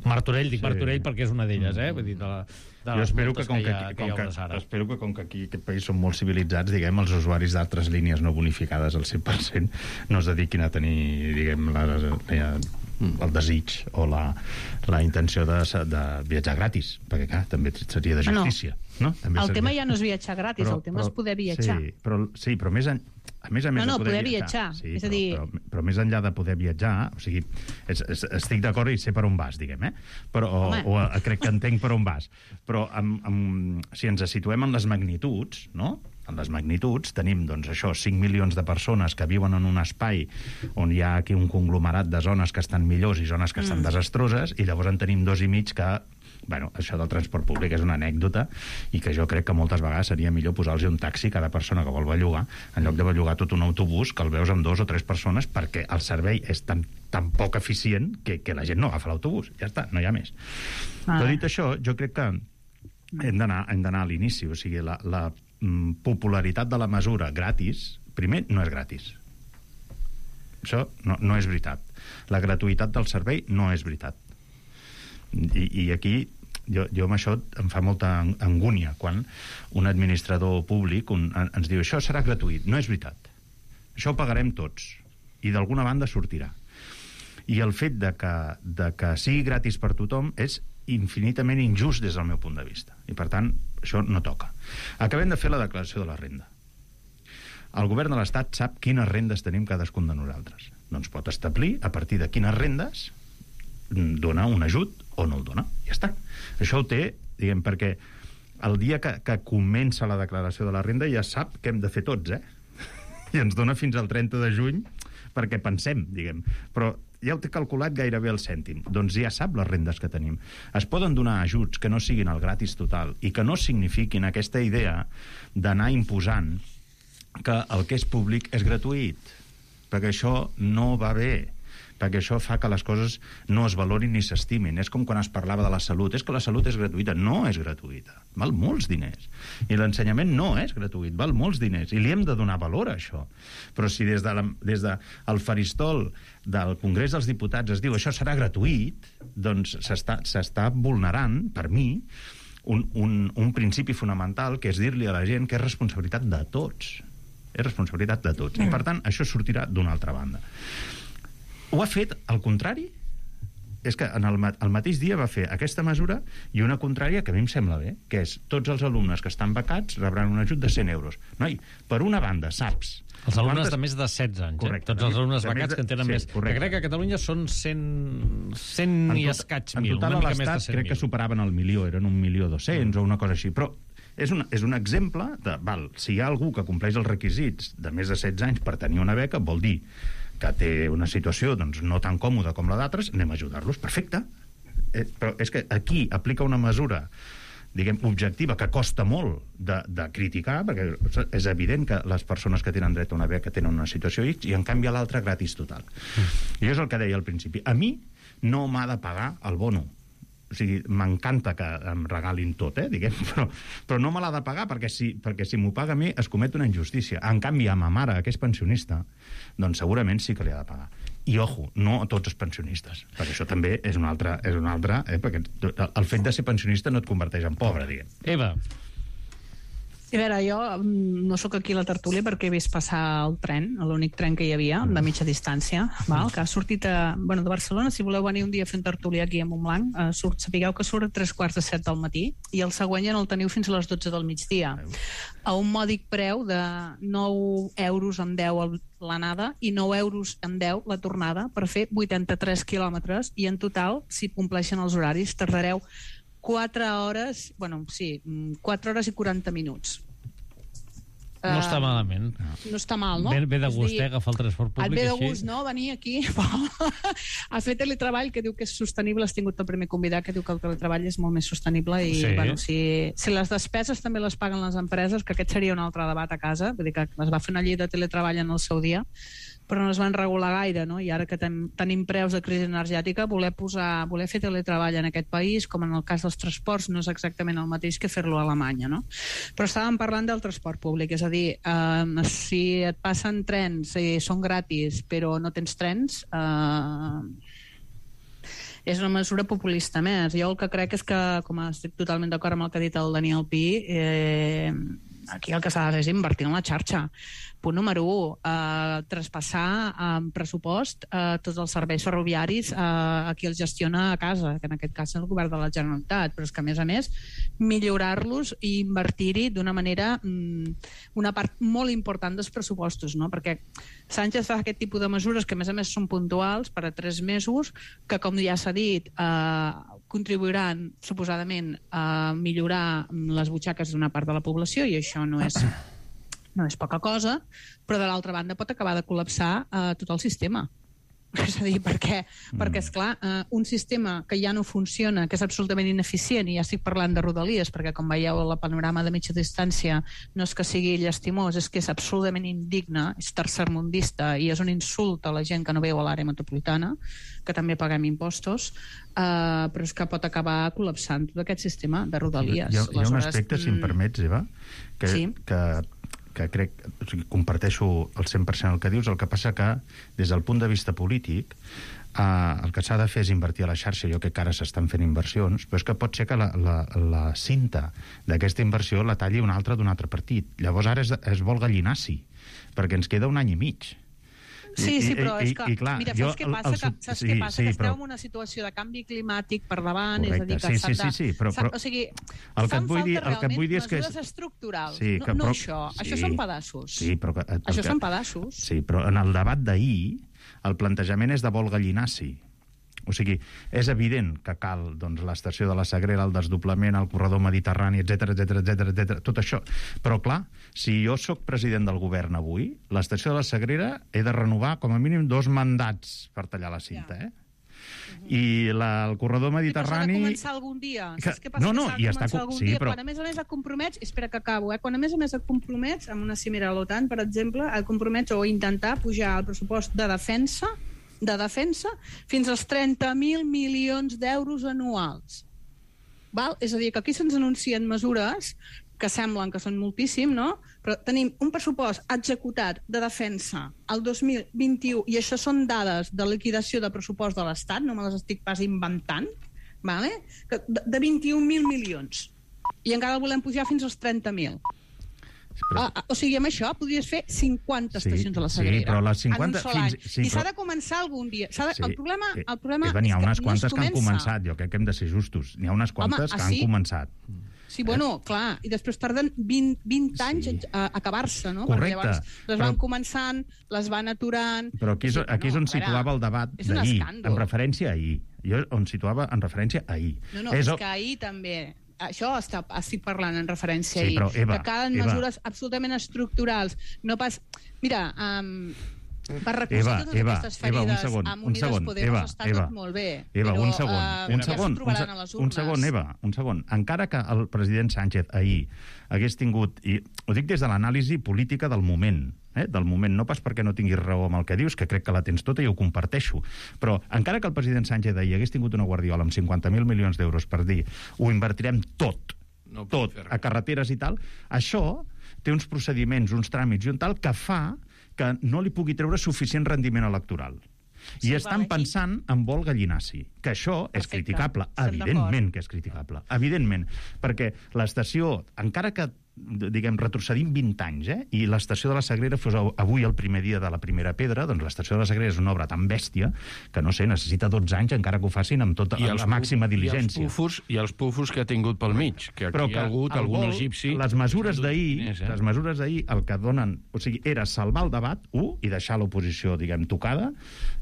[SPEAKER 6] Martorell, dic sí. Martorell perquè és una d'elles, eh? Vull dir, de la, de
[SPEAKER 8] jo espero que, com
[SPEAKER 6] que,
[SPEAKER 8] que,
[SPEAKER 6] ha,
[SPEAKER 8] com
[SPEAKER 6] que,
[SPEAKER 8] que espero que com que aquí aquest país són molt civilitzats, diguem, els usuaris d'altres línies no bonificades al cent per cent no es dediquin a tenir, diguem, la, la, el desig o la, la intenció de, de viatjar gratis, perquè, clar, també seria de justícia. No. No? També
[SPEAKER 9] el
[SPEAKER 8] seria...
[SPEAKER 9] tema ja no és viatjar gratis, però, el tema però, és poder viatjar.
[SPEAKER 8] Sí, però, sí, però més, en, a més a més
[SPEAKER 9] no, no,
[SPEAKER 8] de poder,
[SPEAKER 9] poder
[SPEAKER 8] viatjar.
[SPEAKER 9] viatjar.
[SPEAKER 8] Sí,
[SPEAKER 9] és
[SPEAKER 8] però,
[SPEAKER 9] a dir...
[SPEAKER 8] però, però més enllà de poder viatjar, o sigui, és, és, estic d'acord i sé per on vas, diguem, eh? Però, o, o, o crec que entenc per on vas. Però amb, amb, si ens situem en les magnituds, no?, en les magnituds, tenim, doncs, això, cinc milions de persones que viuen en un espai on hi ha aquí un conglomerat de zones que estan millors i zones que estan mm. desastroses, i llavors en tenim dos i mig que... Bueno, això del transport públic és una anècdota i que jo crec que moltes vegades seria millor posar-los un taxi a cada persona que vol bellugar, en lloc de bellugar tot un autobús que el veus amb dos o tres persones, perquè el servei és tan, tan poc eficient que, que la gent no agafa l'autobús. Ja està, no hi ha més. Ah. Però dit això, jo crec que hem d'anar hem d'anar a l'inici, o sigui, la, la popularitat de la mesura gratis, primer, no és gratis. Això no, no és veritat. La gratuïtat del servei no és veritat. I, i aquí jo, jo amb això em fa molta angúnia quan un administrador públic un, ens diu això serà gratuït. No és veritat. Això ho pagarem tots i d'alguna banda sortirà. I el fet de que, de que sigui gratis per tothom és infinitament injust des del meu punt de vista. I per tant, això no toca. Acabem de fer la declaració de la renda. El govern de l'Estat sap quines rendes tenim cadascun de nosaltres. Doncs pot establir a partir de quines rendes donar un ajut o no el dona. Ja està. Això ho té, diguem, perquè el dia que, que comença la declaració de la renda ja sap què hem de fer tots, eh? I ens dona fins al trenta de juny perquè pensem, diguem. Però ja ho té calculat gairebé el cèntim. Doncs ja sap les rendes que tenim. Es poden donar ajuts que no siguin el gratis total i que no signifiquin aquesta idea d'anar imposant que el que és públic és gratuït. Perquè això no va bé. perquè això fa que les coses no es valorin ni s'estimin. És com quan es parlava de la salut. És que la salut és gratuïta. No és gratuïta. Val molts diners. I l'ensenyament no és gratuït. Val molts diners. I li hem de donar valor a això. Però si des de la, des de el faristol del Congrés dels Diputats es diu això serà gratuït, doncs s'està, s'està vulnerant, per mi, un, un, un principi fonamental, que és dir-li a la gent que és responsabilitat de tots. És responsabilitat de tots. I, per tant, això sortirà d'una altra banda. Ho ha fet al contrari. És que en el, el mateix dia va fer aquesta mesura i una contrària que a mi em sembla bé, que és tots els alumnes que estan becats rebran un ajut de cent euros. Noi, per una banda, saps...
[SPEAKER 6] Els alumnes quantes... de més de setze anys, correcte, eh? Tots els alumnes becats de... que en tenen sí, més... Correcte. Que crec que a Catalunya són cent, cent tot, i escaig mil,
[SPEAKER 8] una mica més de cent mil. Crec que superaven el milió, eren un milió dos-cents mm. o una cosa així, però és un, és un exemple de, val, si hi ha algú que compleix els requisits de més de setze anys per tenir una beca, vol dir que té una situació doncs, no tan còmoda com la d'altres, anem a ajudar-los, perfecte. Eh, però és que aquí aplica una mesura, diguem, objectiva, que costa molt de, de criticar, perquè és evident que les persones que tenen dret a una beca tenen una situació X, i en canvi a l'altra gratis total. Mm. I és el que deia al principi. A mi no m'ha de pagar el bono. O sigui, m'encanta que em regalin tot, eh, diguem, però, però no me l'ha de pagar, perquè si, perquè si m'ho paga a mi es comet una injustícia. En canvi, a ma mare, que és pensionista, doncs segurament sí que li ha de pagar. I, ojo, no a tots els pensionistes, perquè això també és un altre... És un altre eh, perquè el fet de ser pensionista no et converteix en pobre, diguem.
[SPEAKER 6] Eva.
[SPEAKER 9] A veure, jo no sóc aquí a la tertúlia perquè he vist passar el tren, l'únic tren que hi havia, de mitja distància, val? Que ha sortit a, bueno, de Barcelona. Si voleu venir un dia a fer un tertúlia aquí a Montblanc, eh, surt, sapigueu que surt a tres quarts de set del matí i el següent ja no el teniu fins a les dotze del migdia. A un mòdic preu de nou euros amb deu l'anada i nou euros amb deu la tornada per fer vuitanta-tres quilòmetres i en total, si compleixen els horaris, tardareu quatre hores, bueno, sí, quatre hores i quaranta minuts.
[SPEAKER 6] No està malament.
[SPEAKER 9] No està mal, no?
[SPEAKER 6] Ve, ve de gust, eh, agafar el transport públic,
[SPEAKER 9] et ve de
[SPEAKER 6] així.
[SPEAKER 9] gust, no?, venir aquí a fer teletreball, que diu que és sostenible. Has tingut el primer convidat que diu que el teletreball és molt més sostenible i, sí. bueno, si, si les despeses també les paguen les empreses, que aquest seria un altre debat a casa, vull dir que es va fer una llei de teletreball en el seu dia, però no es van regular gaire, no? I ara que ten, tenim preus de crisi energètica, voler posar, voler fer teletreball en aquest país, com en el cas dels transports, no és exactament el mateix que fer-lo a Alemanya, no? Però estàvem parlant del transport públic, és a dir, eh, si et passen trens i són gratis, però no tens trens, eh, és una mesura populista més. Jo el que crec és que, com estic totalment d'acord amb el que ha dit el Daniel Pi, eh, aquí el que s'ha de fer és invertir en la xarxa. Punt número u, eh, traspassar en pressupost eh, tots els serveis ferroviaris eh, a qui els gestiona a casa, que en aquest cas és el govern de la Generalitat, però és que a més a més millorar-los i invertir-hi d'una manera, mm, una part molt important dels pressupostos, no? Perquè Sánchez fa aquest tipus de mesures que a més a més són puntuals per a tres mesos, que com ja s'ha dit eh, contribuiran suposadament a millorar les butxaques d'una part de la població, i això no és no és poca cosa, però de l'altra banda pot acabar de col·lapsar eh, tot el sistema. És a dir, perquè, mm. perquè esclar, eh, un sistema que ja no funciona, que és absolutament ineficient, i ja estic parlant de Rodalies, perquè com veieu el panorama de mitja distància no és que sigui llastimós, és que és absolutament indigne, és tercermundista i és un insult a la gent que no veu a l'àrea metropolitana, que també paguem impostos, eh, però és que pot acabar col·lapsant tot aquest sistema de Rodalies.
[SPEAKER 8] Hi ha, hi ha un aspecte, si em permets, Eva, que,
[SPEAKER 9] sí.
[SPEAKER 8] que que crec, o sigui, comparteixo el cent per cent el que dius, el que passa que des del punt de vista polític eh, el que s'ha de fer és invertir a la xarxa. Jo crec que ara s'estan fent inversions, però és que pot ser que la, la, la cinta d'aquesta inversió la talli un altre d'un altre partit. Llavors ara es, es vol gallinaci, perquè ens queda un any i mig.
[SPEAKER 9] Sí, sí, però
[SPEAKER 8] I,
[SPEAKER 9] és que,
[SPEAKER 8] i, i, clar,
[SPEAKER 9] mira,
[SPEAKER 8] jo,
[SPEAKER 9] saps què passa? El, el, que, saps sí, què passa? Sí, que esteu en una situació de canvi climàtic per davant,
[SPEAKER 8] correcte,
[SPEAKER 9] és a dir, que
[SPEAKER 8] sí,
[SPEAKER 9] s'han
[SPEAKER 8] sí, sí, sí, però, però,
[SPEAKER 9] o sigui,
[SPEAKER 8] el que
[SPEAKER 9] fan
[SPEAKER 8] et vull dir,
[SPEAKER 9] falta
[SPEAKER 8] el que et vull dir és que
[SPEAKER 9] mesures estructurals,
[SPEAKER 8] sí, que,
[SPEAKER 9] no, no
[SPEAKER 8] però,
[SPEAKER 9] això.
[SPEAKER 8] Sí,
[SPEAKER 9] això són pedaços.
[SPEAKER 8] Sí, però que, el,
[SPEAKER 9] això
[SPEAKER 8] que,
[SPEAKER 9] són pedaços.
[SPEAKER 8] Sí, però en el debat d'ahir el plantejament és de vol gallinaci. O sigui, és evident que cal doncs, l'estació de la Sagrera, el desdoblament, el corredor mediterrani, etcètera, etcètera, etcètera, etcètera, tot això. Però, clar, si jo sóc president del govern avui, l'estació de la Sagrera he de renovar com a mínim dos mandats per tallar la cinta, eh? I la, el corredor mediterrani...
[SPEAKER 9] I s'ha de començar algun dia. Saps què passa?
[SPEAKER 8] No, no,
[SPEAKER 9] que
[SPEAKER 8] i
[SPEAKER 9] està
[SPEAKER 8] està...
[SPEAKER 9] algun
[SPEAKER 8] Sí,
[SPEAKER 9] dia,
[SPEAKER 8] però...
[SPEAKER 9] quan a més a més et compromets... Espera que acabo, eh? Quan a més a més et compromets amb una cimera a l'OTAN, per exemple, et compromets o intentar pujar el pressupost de defensa de defensa fins als trenta mil milions d'euros anuals. Val? És a dir, que aquí se'ns anuncien mesures que semblen que són moltíssim, no? Però tenim un pressupost executat de defensa al dos mil vint-i-u, i això són dades de liquidació de pressupost de l'Estat, no me les estic pas inventant, vale? de, de vint-i-un mil milions. I encara el volem pujar fins als trenta mil. Però... Ah, o sigui, amb això podries fer cinquanta sí, estacions a la Sagrera.
[SPEAKER 8] Sí, però les cinquanta...
[SPEAKER 9] En un sol any.
[SPEAKER 8] Fins... Sí,
[SPEAKER 9] I s'ha
[SPEAKER 8] però...
[SPEAKER 9] de començar algun dia. De...
[SPEAKER 8] Sí,
[SPEAKER 9] el problema, el problema
[SPEAKER 8] Eva, n'hi ha
[SPEAKER 9] és
[SPEAKER 8] unes
[SPEAKER 9] que
[SPEAKER 8] quantes
[SPEAKER 9] no
[SPEAKER 8] que han
[SPEAKER 9] comença.
[SPEAKER 8] començat. Jo crec que hem de ser justos. N'hi ha unes quantes
[SPEAKER 9] Home,
[SPEAKER 8] que
[SPEAKER 9] ah,
[SPEAKER 8] han
[SPEAKER 9] sí?
[SPEAKER 8] començat.
[SPEAKER 9] Sí, bueno, clar, i després tarden vint, vint anys sí. a, a acabar-se, no?
[SPEAKER 8] Correcte.
[SPEAKER 9] Perquè llavors les van però... començant, les van aturant...
[SPEAKER 8] Però aquí és, aquí és on no, situava el debat d'ahir, en referència a ahir. Jo on situava en referència a ahir.
[SPEAKER 9] No, no, és, és que ahir també... Això està, estic parlant en referència
[SPEAKER 8] sí, però, Eva,
[SPEAKER 9] que calen
[SPEAKER 8] Eva.
[SPEAKER 9] mesures absolutament estructurals. No pas... Mira, um, per recolzar
[SPEAKER 8] Eva,
[SPEAKER 9] totes
[SPEAKER 8] Eva,
[SPEAKER 9] aquestes ferides
[SPEAKER 8] Eva, un segon,
[SPEAKER 9] amb
[SPEAKER 8] un
[SPEAKER 9] Unides
[SPEAKER 8] segon,
[SPEAKER 9] Podemos
[SPEAKER 8] Eva,
[SPEAKER 9] està
[SPEAKER 8] Eva,
[SPEAKER 9] tot molt bé.
[SPEAKER 8] Eva,
[SPEAKER 9] però,
[SPEAKER 8] un segon,
[SPEAKER 9] uh,
[SPEAKER 8] un segon, un, se un segon, Eva, un segon. Encara que el president Sánchez ahir hagués tingut, i ho dic des de l'anàlisi política del moment, eh, del moment, no pas perquè no tinguis raó amb el que dius, que crec que la tens tota i ho comparteixo, però encara que el president Sánchez ahir hagués tingut una guardiola amb cinquanta mil milions d'euros per dir ho invertirem tot, no tot, a carreteres i tal, això té uns procediments, uns tràmits i un tal que fa que no li pugui treure suficient rendiment electoral. I sí, estan vale, pensant sí. en vol gallinaci, que això Perfecte. és criticable, evidentment que és criticable, evidentment, perquè l'estació, encara que diguem, retrocedim vint anys, eh? i l'estació de la Sagrera fos avui el primer dia de la primera pedra, doncs l'estació de la Sagrera és una obra tan bèstia que, no sé, necessita dotze anys encara que ho facin amb tota la màxima diligència.
[SPEAKER 7] I els pufos, i els pufos que ha tingut pel mig, que aquí Però que hi ha hagut algun vol, egipci...
[SPEAKER 8] Les mesures d'ahir, eh? les mesures d'ahir, el que donen... O sigui, era salvar el debat, un, i deixar l'oposició, diguem, tocada,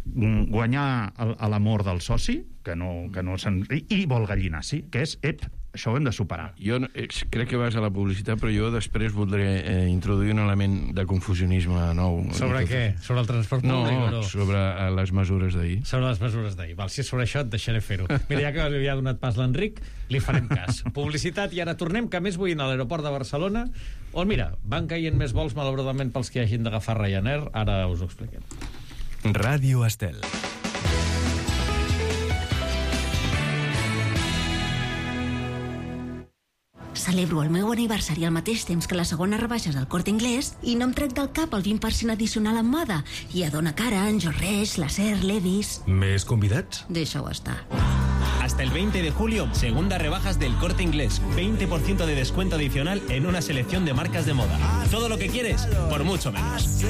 [SPEAKER 8] guanyar l'amor del soci, que no, que no se'n... I, i vol gallinaci, que és, ep, això ho hem de superar.
[SPEAKER 7] Jo no, crec que vas a la publicitat, però jo després voldré eh, introduir un element de confusionisme nou.
[SPEAKER 6] Sobre què? Sobre el transport públic?
[SPEAKER 7] No, no, sobre eh, les mesures d'ahir.
[SPEAKER 6] Sobre les mesures d'ahir. Val, si és sobre això et deixaré fer-ho. Mira, ja que li ha donat pas l'Enric, li farem cas. Publicitat, i ara tornem, que més vull anar a l'aeroport de Barcelona, on, mira, van caient més vols, malauradament, pels que hagin d'agafar Ryanair. Ara us ho expliquem.
[SPEAKER 5] Ràdio Estel.
[SPEAKER 3] Celebro el meu aniversari al mateix temps que les segones rebaixes al Corte Inglés i no em trec del cap el vint per cent addicional en moda. I a Dona Cara, en Jorreix, Lacer, Levis...
[SPEAKER 2] ¿Més convidats?
[SPEAKER 3] Deixa-ho estar.
[SPEAKER 4] Hasta el veinte de julio, segunda rebajas del Corte Inglés. veinte por ciento de descuento adicional en una selección de marcas de moda. Todo lo que quieres, por mucho menos.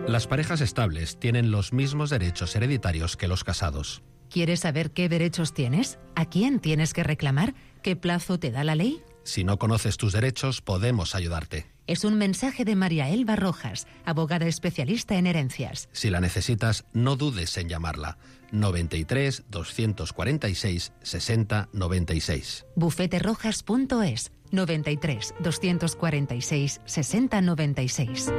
[SPEAKER 11] Las parejas estables tienen los mismos derechos hereditarios que los casados.
[SPEAKER 12] ¿Quieres saber qué derechos tienes? ¿A quién tienes que reclamar? ¿Qué plazo te da la ley?
[SPEAKER 11] Si no conoces tus derechos, podemos ayudarte.
[SPEAKER 12] Es un mensaje de María Elba Rojas, abogada especialista en herencias.
[SPEAKER 11] Si la necesitas, no dudes en llamarla. noventa y tres, doscientos cuarenta y seis, sesenta, noventa y seis.
[SPEAKER 12] bufete rojas punto es. noventa y tres, doscientos cuarenta y seis, sesenta, noventa y seis.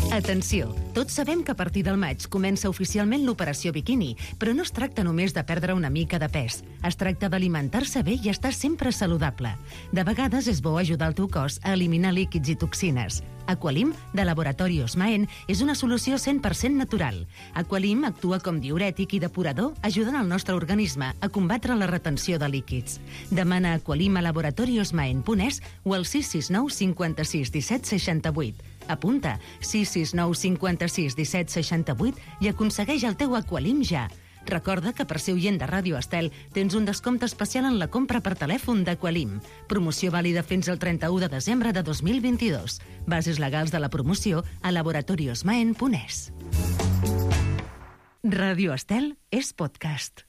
[SPEAKER 12] Atenció, tots sabem que a partir del maig comença oficialment l'operació biquini, però no es tracta només de perdre una mica de pes. Es tracta d'alimentar-se bé i estar sempre saludable. De vegades és bo ajudar el teu cos a eliminar líquids i toxines. Aqualim, de Laboratori Osmaen, és una solució cent per cent natural. Aqualim actua com diürètic i depurador, ajudant el nostre organisme a combatre la retenció de líquids. Demana Aqualim a laboratori osmaen punt es o al sis sis nou cinquanta-sis disset seixanta-vuit. Apunta sis sis nou cinquanta-sis disset seixanta-vuit i aconsegueix el teu Aqualim ja. Recorda que per ser oient de Ràdio Estel tens un descompte especial en la compra per telèfon d'Aqualim. Promoció vàlida fins al trenta-u de desembre de dos mil vint-i-dos. Bases legals de la promoció a laboratori osmaen punt es. Ràdio Estel és podcast.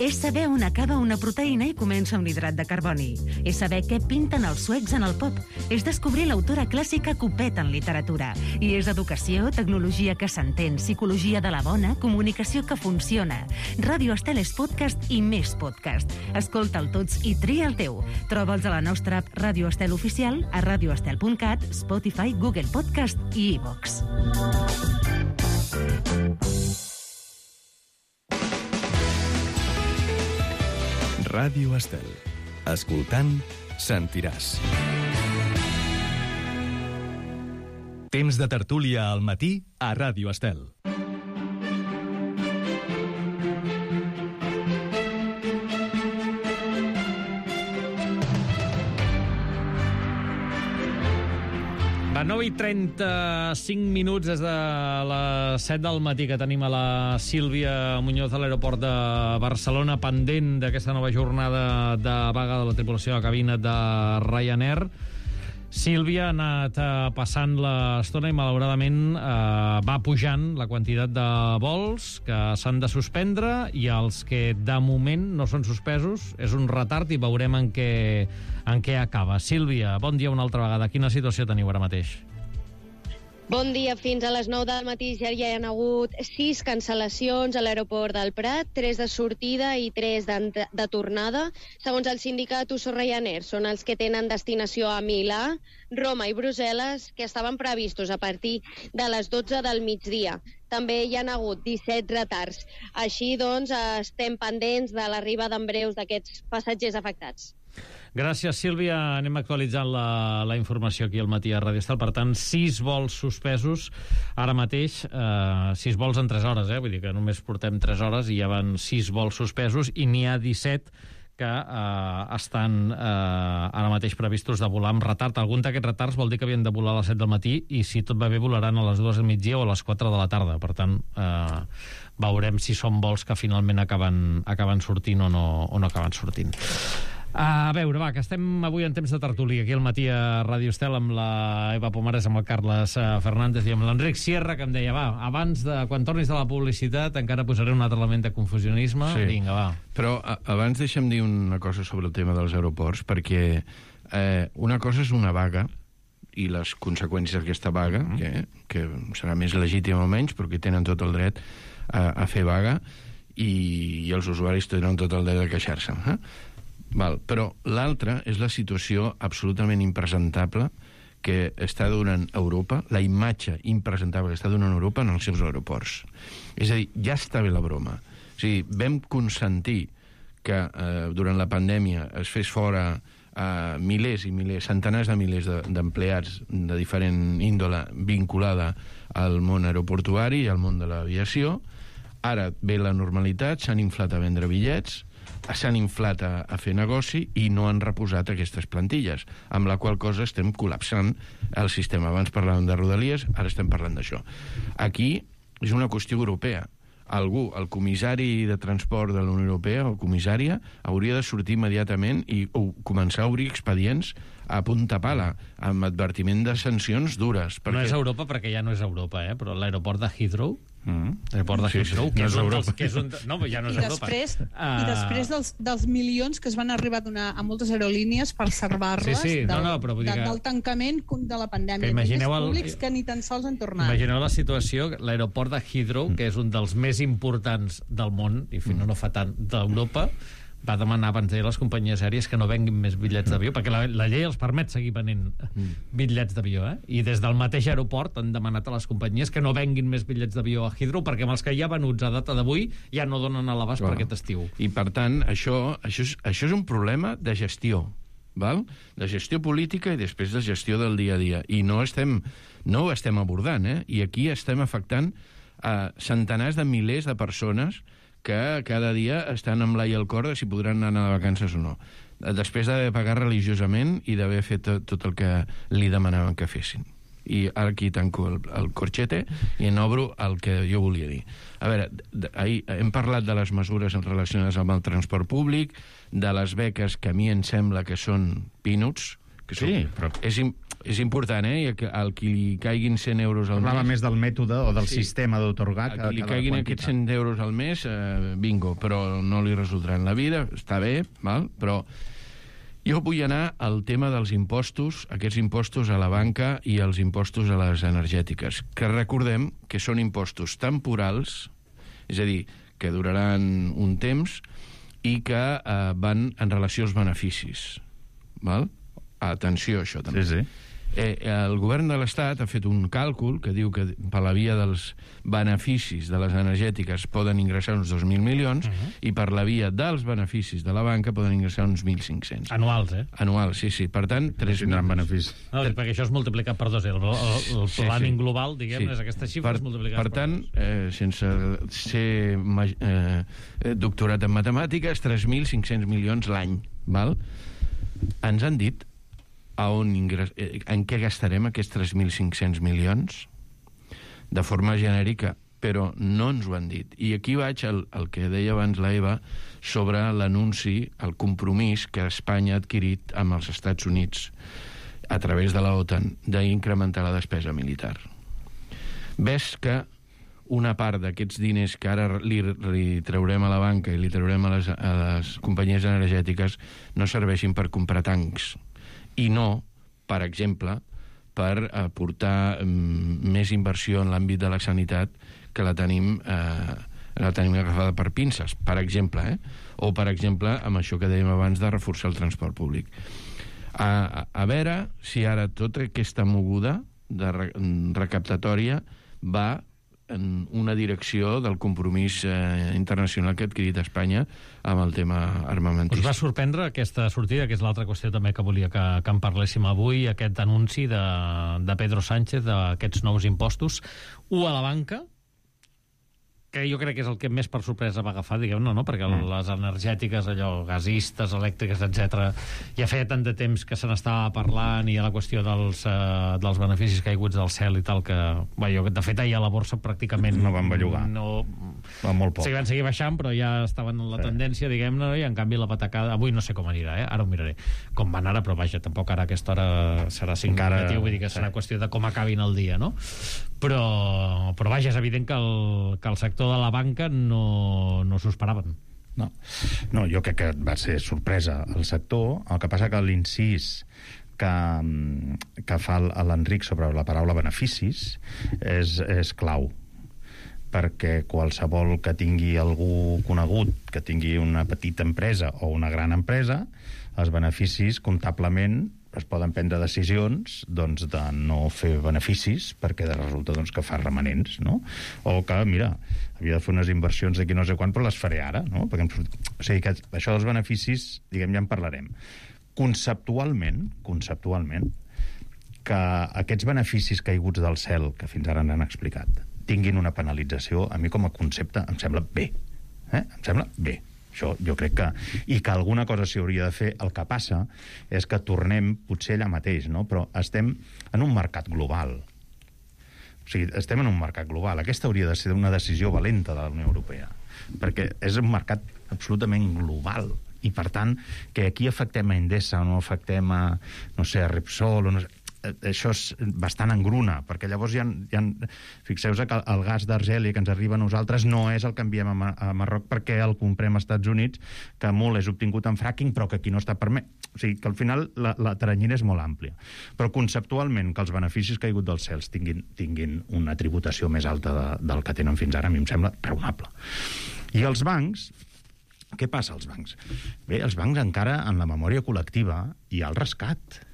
[SPEAKER 12] És saber on acaba una proteïna i comença un hidrat de carboni. És saber què pinten els suecs en el pop. És descobrir l'autora clàssica Copet en literatura. I és educació, tecnologia que s'entén, psicologia de la bona, comunicació que funciona. Ràdio Estel és podcast i més podcast. Escolta'l tots i tria el teu. Troba'ls a la nostra app Ràdio Estel Oficial, a radioestel punt cat, Spotify, Google Podcast i iVox.
[SPEAKER 5] Ràdio Estel. Escoltant sentiràs. Temps de tertúlia al matí a Ràdio Estel.
[SPEAKER 6] A nou i trenta-cinc minuts des de les set del matí que tenim a la Sílvia Muñoz a l'aeroport de Barcelona, pendent d'aquesta nova jornada de vaga de la tripulació de cabina de Ryanair. Sílvia ha anat eh, passant l'estona i, malauradament, eh, va pujant la quantitat de vols que s'han de suspendre, i els que, de moment, no són suspesos. És un retard i veurem en què, en què acaba. Sílvia, bon dia una altra vegada. Quina situació teniu ara mateix?
[SPEAKER 13] Bon dia. Fins a les nou del matí ja hi ha hagut sis cancel·lacions a l'aeroport del Prat, tres de sortida i tres de, de tornada. Segons el sindicat U S O Ryanair, són els que tenen destinació a Milà, Roma i Brussel·les, que estaven previstos a partir de les dotze del migdia. També hi ha hagut disset retards. Així, doncs, estem pendents de l'arribada en breus d'aquests passatgers afectats.
[SPEAKER 6] Gràcies, Sílvia. Anem actualitzant la, la informació aquí al matí a Ràdio Estel. Per tant, sis vols suspesos ara mateix, eh, sis vols en tres hores, eh? Vull dir que només portem tres hores i ja van sis vols suspesos, i n'hi ha disset que eh, estan eh, ara mateix previstos de volar amb retard. Algun d'aquests retards vol dir que havien de volar a les set del matí, i si tot va bé volaran a les dues del migdia o a les quatre de la tarda. Per tant, eh, veurem si són vols que finalment acaben, acaben sortint o no, o no acaben sortint. A veure, va, que estem avui en temps de tertúlia aquí al matí a Ràdio Estel amb la Eva Pomares, amb el Carles Fernández i amb l'Enric Sierra, que em deia, va, abans de, quan tornis de la publicitat encara posaré un altre element de confusionisme. Sí. Vinga, va.
[SPEAKER 7] Però a, abans deixa'm dir una cosa sobre el tema dels aeroports, perquè eh, una cosa és una vaga i les conseqüències d'aquesta vaga, mm. que, que serà més legítima o menys, perquè tenen tot el dret a, a fer vaga, i, i els usuaris tenen tot el dret a queixar-se. Eh? Val, però l'altra és la situació absolutament impresentable que està donant Europa, la imatge impresentable que està donant Europa en els seus aeroports. És a dir, ja està bé la broma. O sigui, vam consentir que eh, durant la pandèmia es fes fora eh, milers i milers, centenars de milers d'empleats de, de diferent índole vinculada al món aeroportuari i al món de l'aviació. Ara ve la normalitat, s'han inflat a vendre bitllets, s'han inflat a, a fer negoci i no han reposat aquestes plantilles, amb la qual cosa estem col·lapsant el sistema. Abans parlàvem de Rodalies, ara estem parlant d'això. Aquí és una qüestió europea. Algú, el comissari de transport de la Unió Europea, o comissària, hauria de sortir immediatament i o, començar a obrir expedients a punta pala, amb advertiment de sancions dures.
[SPEAKER 6] Perquè... No és Europa, perquè ja no és Europa, eh? Però l'aeroport de Heathrow,
[SPEAKER 7] Mm.
[SPEAKER 6] l'aeroport de Heathrow,
[SPEAKER 7] sí, sí,
[SPEAKER 6] que,
[SPEAKER 7] no
[SPEAKER 6] és
[SPEAKER 7] és
[SPEAKER 6] un
[SPEAKER 7] Europa.
[SPEAKER 6] dels, que és un... No, ja no és
[SPEAKER 14] I
[SPEAKER 6] Europa.
[SPEAKER 14] després,
[SPEAKER 6] uh...
[SPEAKER 14] i després dels, dels milions que es van arribar a donar a moltes aerolínies per salvar-les
[SPEAKER 6] sí, sí.
[SPEAKER 14] del,
[SPEAKER 6] no, no, però vull dir
[SPEAKER 14] de,
[SPEAKER 6] que...
[SPEAKER 14] del tancament de la pandèmia.
[SPEAKER 6] Que imagineu el...
[SPEAKER 14] públics que ni tan sols han tornat.
[SPEAKER 6] Imagineu la situació, l'aeroport de Heathrow, mm. que és un dels més importants del món, i fins mm. no fa tant, d'Europa, va demanar abans de les companyies aèries que no venguin més bitllets d'avió, perquè la, la llei els permet seguir venent bitllets d'avió, eh? I des del mateix aeroport han demanat a les companyies que no venguin més bitllets d'avió a Heathrow, perquè amb els que hi ha venuts a data d'avui ja no donen a l'abast per aquest estiu.
[SPEAKER 7] I per tant, això, això, és, això és un problema de gestió, val? De gestió política i després de gestió del dia a dia. I no, estem, no ho estem abordant, eh? I aquí estem afectant a centenars de milers de persones que cada dia estan amb l'ai al cor de si podran anar de vacances o no, després d'haver pagat religiosament i d'haver fet tot, tot el que li demanaven que fessin. I ara aquí tanco el, el corxete i en obro el que jo volia dir. A veure, ahir hem parlat de les mesures relacionades amb el transport públic, de les beques, que a mi em sembla que són peanuts, que són,
[SPEAKER 8] sí, però...
[SPEAKER 7] és, és important, eh? Al qui li caiguin cent euros al
[SPEAKER 8] Parlava
[SPEAKER 7] mes...
[SPEAKER 8] més del mètode o del sí. sistema d'autorgar.
[SPEAKER 7] A qui li caiguin aquests cent euros al mes, eh, bingo, però no li resoldran la vida, està bé, val? Però jo vull anar al tema dels impostos, aquests impostos a la banca i els impostos a les energètiques, que recordem que són impostos temporals, és a dir, que duraran un temps i que eh, van en relació als beneficis, val? Atenció, això també.
[SPEAKER 8] Sí, sí.
[SPEAKER 7] Eh, el govern de l'Estat ha fet un càlcul que diu que per la via dels beneficis de les energètiques poden ingressar uns dos mil milions uh -huh. i per la via dels beneficis de la banca poden ingressar uns mil cinc-cents.
[SPEAKER 6] Anuals, eh?
[SPEAKER 7] Anuals, sí, sí. Per tant, tres mil
[SPEAKER 8] beneficis.
[SPEAKER 6] No, perquè això és multiplicat per dos. El, el, el
[SPEAKER 7] sí,
[SPEAKER 6] planning
[SPEAKER 7] sí.
[SPEAKER 6] global, diguem,
[SPEAKER 7] sí.
[SPEAKER 6] és aquesta xifra
[SPEAKER 7] per,
[SPEAKER 6] multiplicat
[SPEAKER 7] per
[SPEAKER 6] per
[SPEAKER 7] tant,
[SPEAKER 6] dos.
[SPEAKER 7] eh, sense ser eh, doctorat en matemàtiques, tres mil cinc-cents milions l'any, val? Ens han dit a on ingress... en què gastarem aquests tres mil cinc-cents milions de forma genèrica, però no ens ho han dit. I aquí vaig al, al que deia abans la Eva sobre l'anunci, el compromís que Espanya ha adquirit amb els Estats Units a través de la OTAN d'incrementar la despesa militar. Ves que una part d'aquests diners que ara li, li traurem a la banca i li traurem a les, a les companyies energètiques no serveixin per comprar tancs i no, per exemple, per aportar um, més inversió en l'àmbit de la sanitat que la tenim, eh, la tenim agafada per pinces, per exemple, eh? O, per exemple, amb això que dèiem abans de reforçar el transport públic. A, a, a veure si ara tota aquesta moguda de re, recaptatòria va en una direcció del compromís eh, internacional que ha adquirit Espanya amb el tema armamentista.
[SPEAKER 6] Us va sorprendre aquesta sortida, que és l'altra qüestió també que volia que, que en parléssim avui, aquest anunci de, de Pedro Sánchez d'aquests nous impostos, u a la banca, que jo crec que és el que més per sorpresa va agafar, diguem-ne, no? Perquè mm. les energètiques, allò, gasistes, elèctriques, etcètera, ja feia tant de temps que se n'estava parlant i a la qüestió dels, eh, dels beneficis caiguts del cel i tal, que, bueno, de fet, ahir a la borsa pràcticament...
[SPEAKER 8] No van bellugar.
[SPEAKER 6] No...
[SPEAKER 8] Va molt poc.
[SPEAKER 6] Sí, van seguir baixant, però ja estaven en la sí. tendència, diguem-ne, i en canvi la patacada... Avui no sé com anirà, eh? Ara ho miraré. Com van ara, però vaja, tampoc ara a aquesta hora serà significatiu, vull dir que serà sí. qüestió de com acabin el dia, no? Però, però vaja, és evident que el, que el sector de la banca no, no s'ho esperaven.
[SPEAKER 8] No. no, jo crec que va ser sorpresa el sector. El que passa que l'incís que, que fa l'Enric sobre la paraula beneficis és, és clau, perquè qualsevol que tingui algú conegut, que tingui una petita empresa o una gran empresa, els beneficis comptablement es poden prendre decisions doncs, de no fer beneficis perquè resulta doncs, que fa remanents, no? O que, mira, havia de fer unes inversions d'aquí no sé quan, però les faré ara, no? Perquè, o sigui que això dels beneficis, diguem, ja en parlarem. Conceptualment, conceptualment, que aquests beneficis caiguts del cel, que fins ara n'han explicat, tinguin una penalització, a mi com a concepte em sembla bé. Eh? Em sembla bé. Això jo crec que... I que alguna cosa s'hi hauria de fer. El que passa és que tornem potser allà mateix, no? Però estem en un mercat global. O sigui, estem en un mercat global. Aquesta hauria de ser una decisió valenta de la Unió Europea, perquè és un mercat absolutament global. I, per tant, que aquí afectem a Endesa o no afectem a, no sé, a Repsol o no sé... Això és bastant engruna, perquè llavors ja, ja fixeu-vos que el gas d'Argèlia que ens arriba a nosaltres no és el que enviem a, a Marroc perquè el comprem als Estats Units, que molt és obtingut en fracking, però que aquí no està permès. O sigui, que al final la, la teranyina és molt àmplia. Però conceptualment que els beneficis caiguts dels cels tinguin, tinguin una tributació més alta de, del que tenen fins ara, a mi em sembla raonable. I els bancs, què passa als bancs? Bé, els bancs encara en la memòria col·lectiva hi ha el rescat.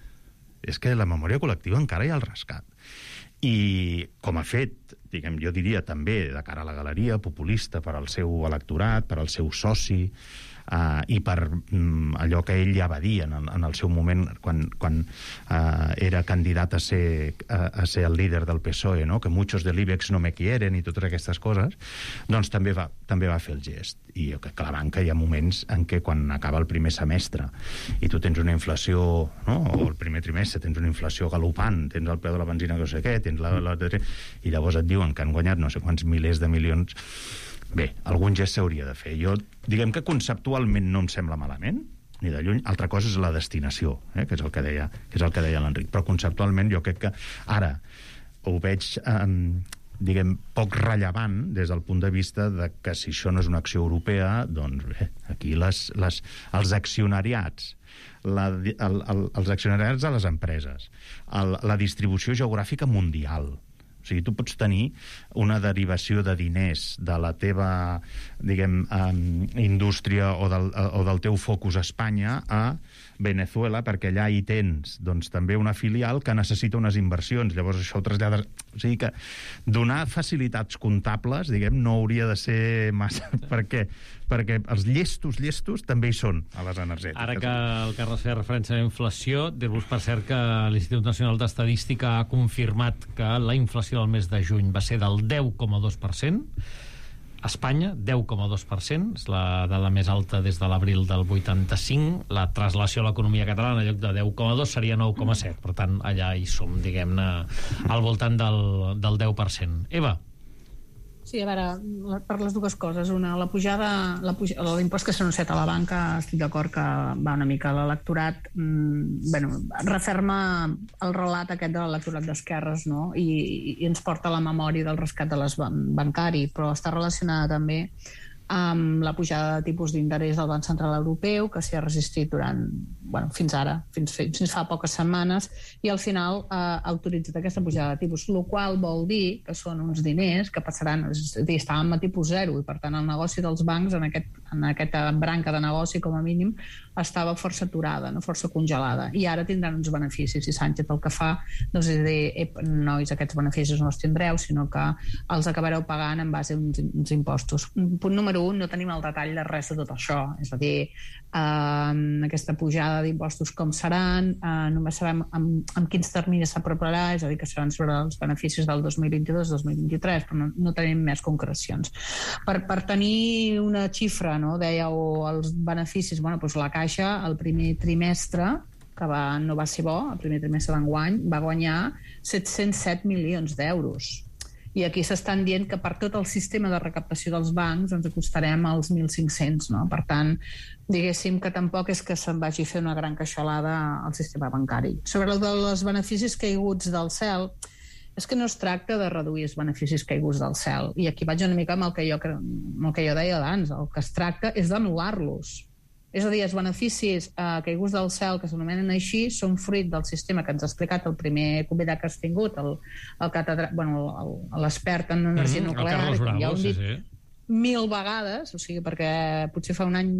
[SPEAKER 8] És que la memòria col·lectiva encara hi ha el rescat. I com a fet, diguem, jo diria també de cara a la galeria, populista per al seu electorat, per al seu soci, Uh, i per um, allò que ell ja va dir en el, en el seu moment quan, quan uh, era candidat a ser, a, a ser el líder del P S O E, no? Que muchos de l'Ibex no me quieren i totes aquestes coses, doncs també va, també va fer el gest. I jo crec que a la banca hi ha moments en què quan acaba el primer semestre i tu tens una inflació, no? O el primer trimestre tens una inflació galopant, tens el preu de la benzina que no sé què, tens la, la, i llavors et diuen que han guanyat no sé quants milers de milions. Bé, algun gest s'hauria de fer. Jo, diguem que conceptualment no em sembla malament, ni de lluny. Altra cosa és la destinació, eh, que és el que deia, que és el que deia l'Enric. Però conceptualment jo crec que ara ho veig, eh, diguem, poc rellevant des del punt de vista de que si això no és una acció europea, doncs bé, aquí les, les, els accionariats, la, el, el, els accionariats de les empreses, el, la distribució geogràfica mundial. O O sigui, tu pots tenir una derivació de diners de la teva, diguem, um, indústria o del, o del teu focus a Espanya a Venezuela, perquè allà hi tens doncs, també una filial que necessita unes inversions. Llavors això ho trasllades... O sigui que donar facilitats comptables, diguem, no hauria de ser massa... perquè, perquè els llestos, llestos també hi són a les energètiques.
[SPEAKER 6] Ara que el Carles feia referència a la inflació, dir-vos per cert que l'Institut Nacional d'Estadística ha confirmat que la inflació del mes de juny va ser del deu coma dos per cent. A Espanya, deu coma dos per cent, és la dada més alta des de l'abril del vuitanta-cinc. La traslació a l'economia catalana, en lloc de deu coma dos, seria nou coma set. Per tant, allà hi som, diguem-ne, al voltant del, del deu per cent. Eva.
[SPEAKER 9] Sí, a veure, per les dues coses. Una, la pujada, la puja, l'impost que s'ha anunciat a la banca, estic d'acord que va una mica a l'electorat, mmm, bueno, referma el relat aquest de l'electorat d'esquerres, no? I, i ens porta a la memòria del rescat de les bancari, però està relacionada també amb la pujada de tipus d'interès del Banc Central Europeu, que s'hi ha resistit durant, bueno, fins ara, fins, fins fa poques setmanes, i al final eh, ha autoritzat aquesta pujada de tipus, el qual vol dir que són uns diners que passaran, és a dir, estàvem a tipus zero, i per tant el negoci dels bancs en, aquest, en aquesta branca de negoci, com a mínim, estava força aturada, no? Força congelada, i ara tindran uns beneficis, i Sánchez el que fa doncs, és dir, ep, nois, aquests beneficis no els tindreu, sinó que els acabareu pagant en base a uns, uns impostos. Punt número un, no tenim el detall de res de tot això, és a dir, eh, aquesta pujada d'impostos com seran, eh, només sabem amb, amb quins terminis s'aproparà, és a dir, que seran sobre els beneficis del dos mil vint-i-dos dos mil vint-i-tres, però no, no tenim més concrecions. Per, per tenir una xifra, no, dèieu els beneficis, bueno, doncs la Caixa, el primer trimestre, que va, no va ser bo, el primer trimestre d'enguany, va guanyar set-cents set milions d'euros. I aquí s'estan dient que per tot el sistema de recaptació dels bancs ens acostarem als mil cinc-cents, no? Per tant, diguéssim que tampoc és que se'n vagi a fer una gran queixalada al sistema bancari. Sobre el dels beneficis caiguts del cel, és que no es tracta de reduir els beneficis caiguts del cel. I aquí vaig una mica amb el que jo, amb el que jo deia abans. El que es tracta és d'anul·lar-los. És a dir, els beneficis eh, caiguts del cel, que s'anomenen així, són fruit del sistema que ens ha explicat el primer convidat que has tingut, el, el catedrà... bueno, l'expert en energia mm-hmm, nuclear,
[SPEAKER 6] el Carlos Bravo,
[SPEAKER 9] ja ho hem dit
[SPEAKER 6] sí, sí.
[SPEAKER 9] mil vegades, o sigui, perquè potser fa un any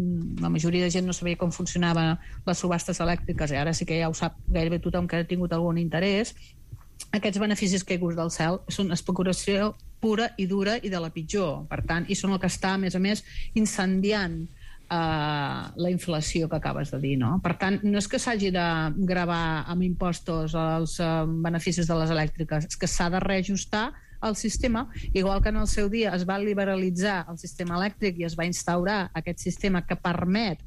[SPEAKER 9] la majoria de gent no sabia com funcionaven les subhastes elèctriques, i ara sí que ja ho sap gairebé tothom que ha tingut algun interès. Aquests beneficis caiguts del cel són especulació pura i dura i de la pitjor, per tant, i són el que està, a més a més, incendiant Uh, la inflació que acabes de dir, no? Per tant, no és que s'hagi de gravar amb impostos els uh, beneficis de les elèctriques, és que s'ha de reajustar el sistema, igual que en el seu dia es va liberalitzar el sistema elèctric i es va instaurar aquest sistema que permet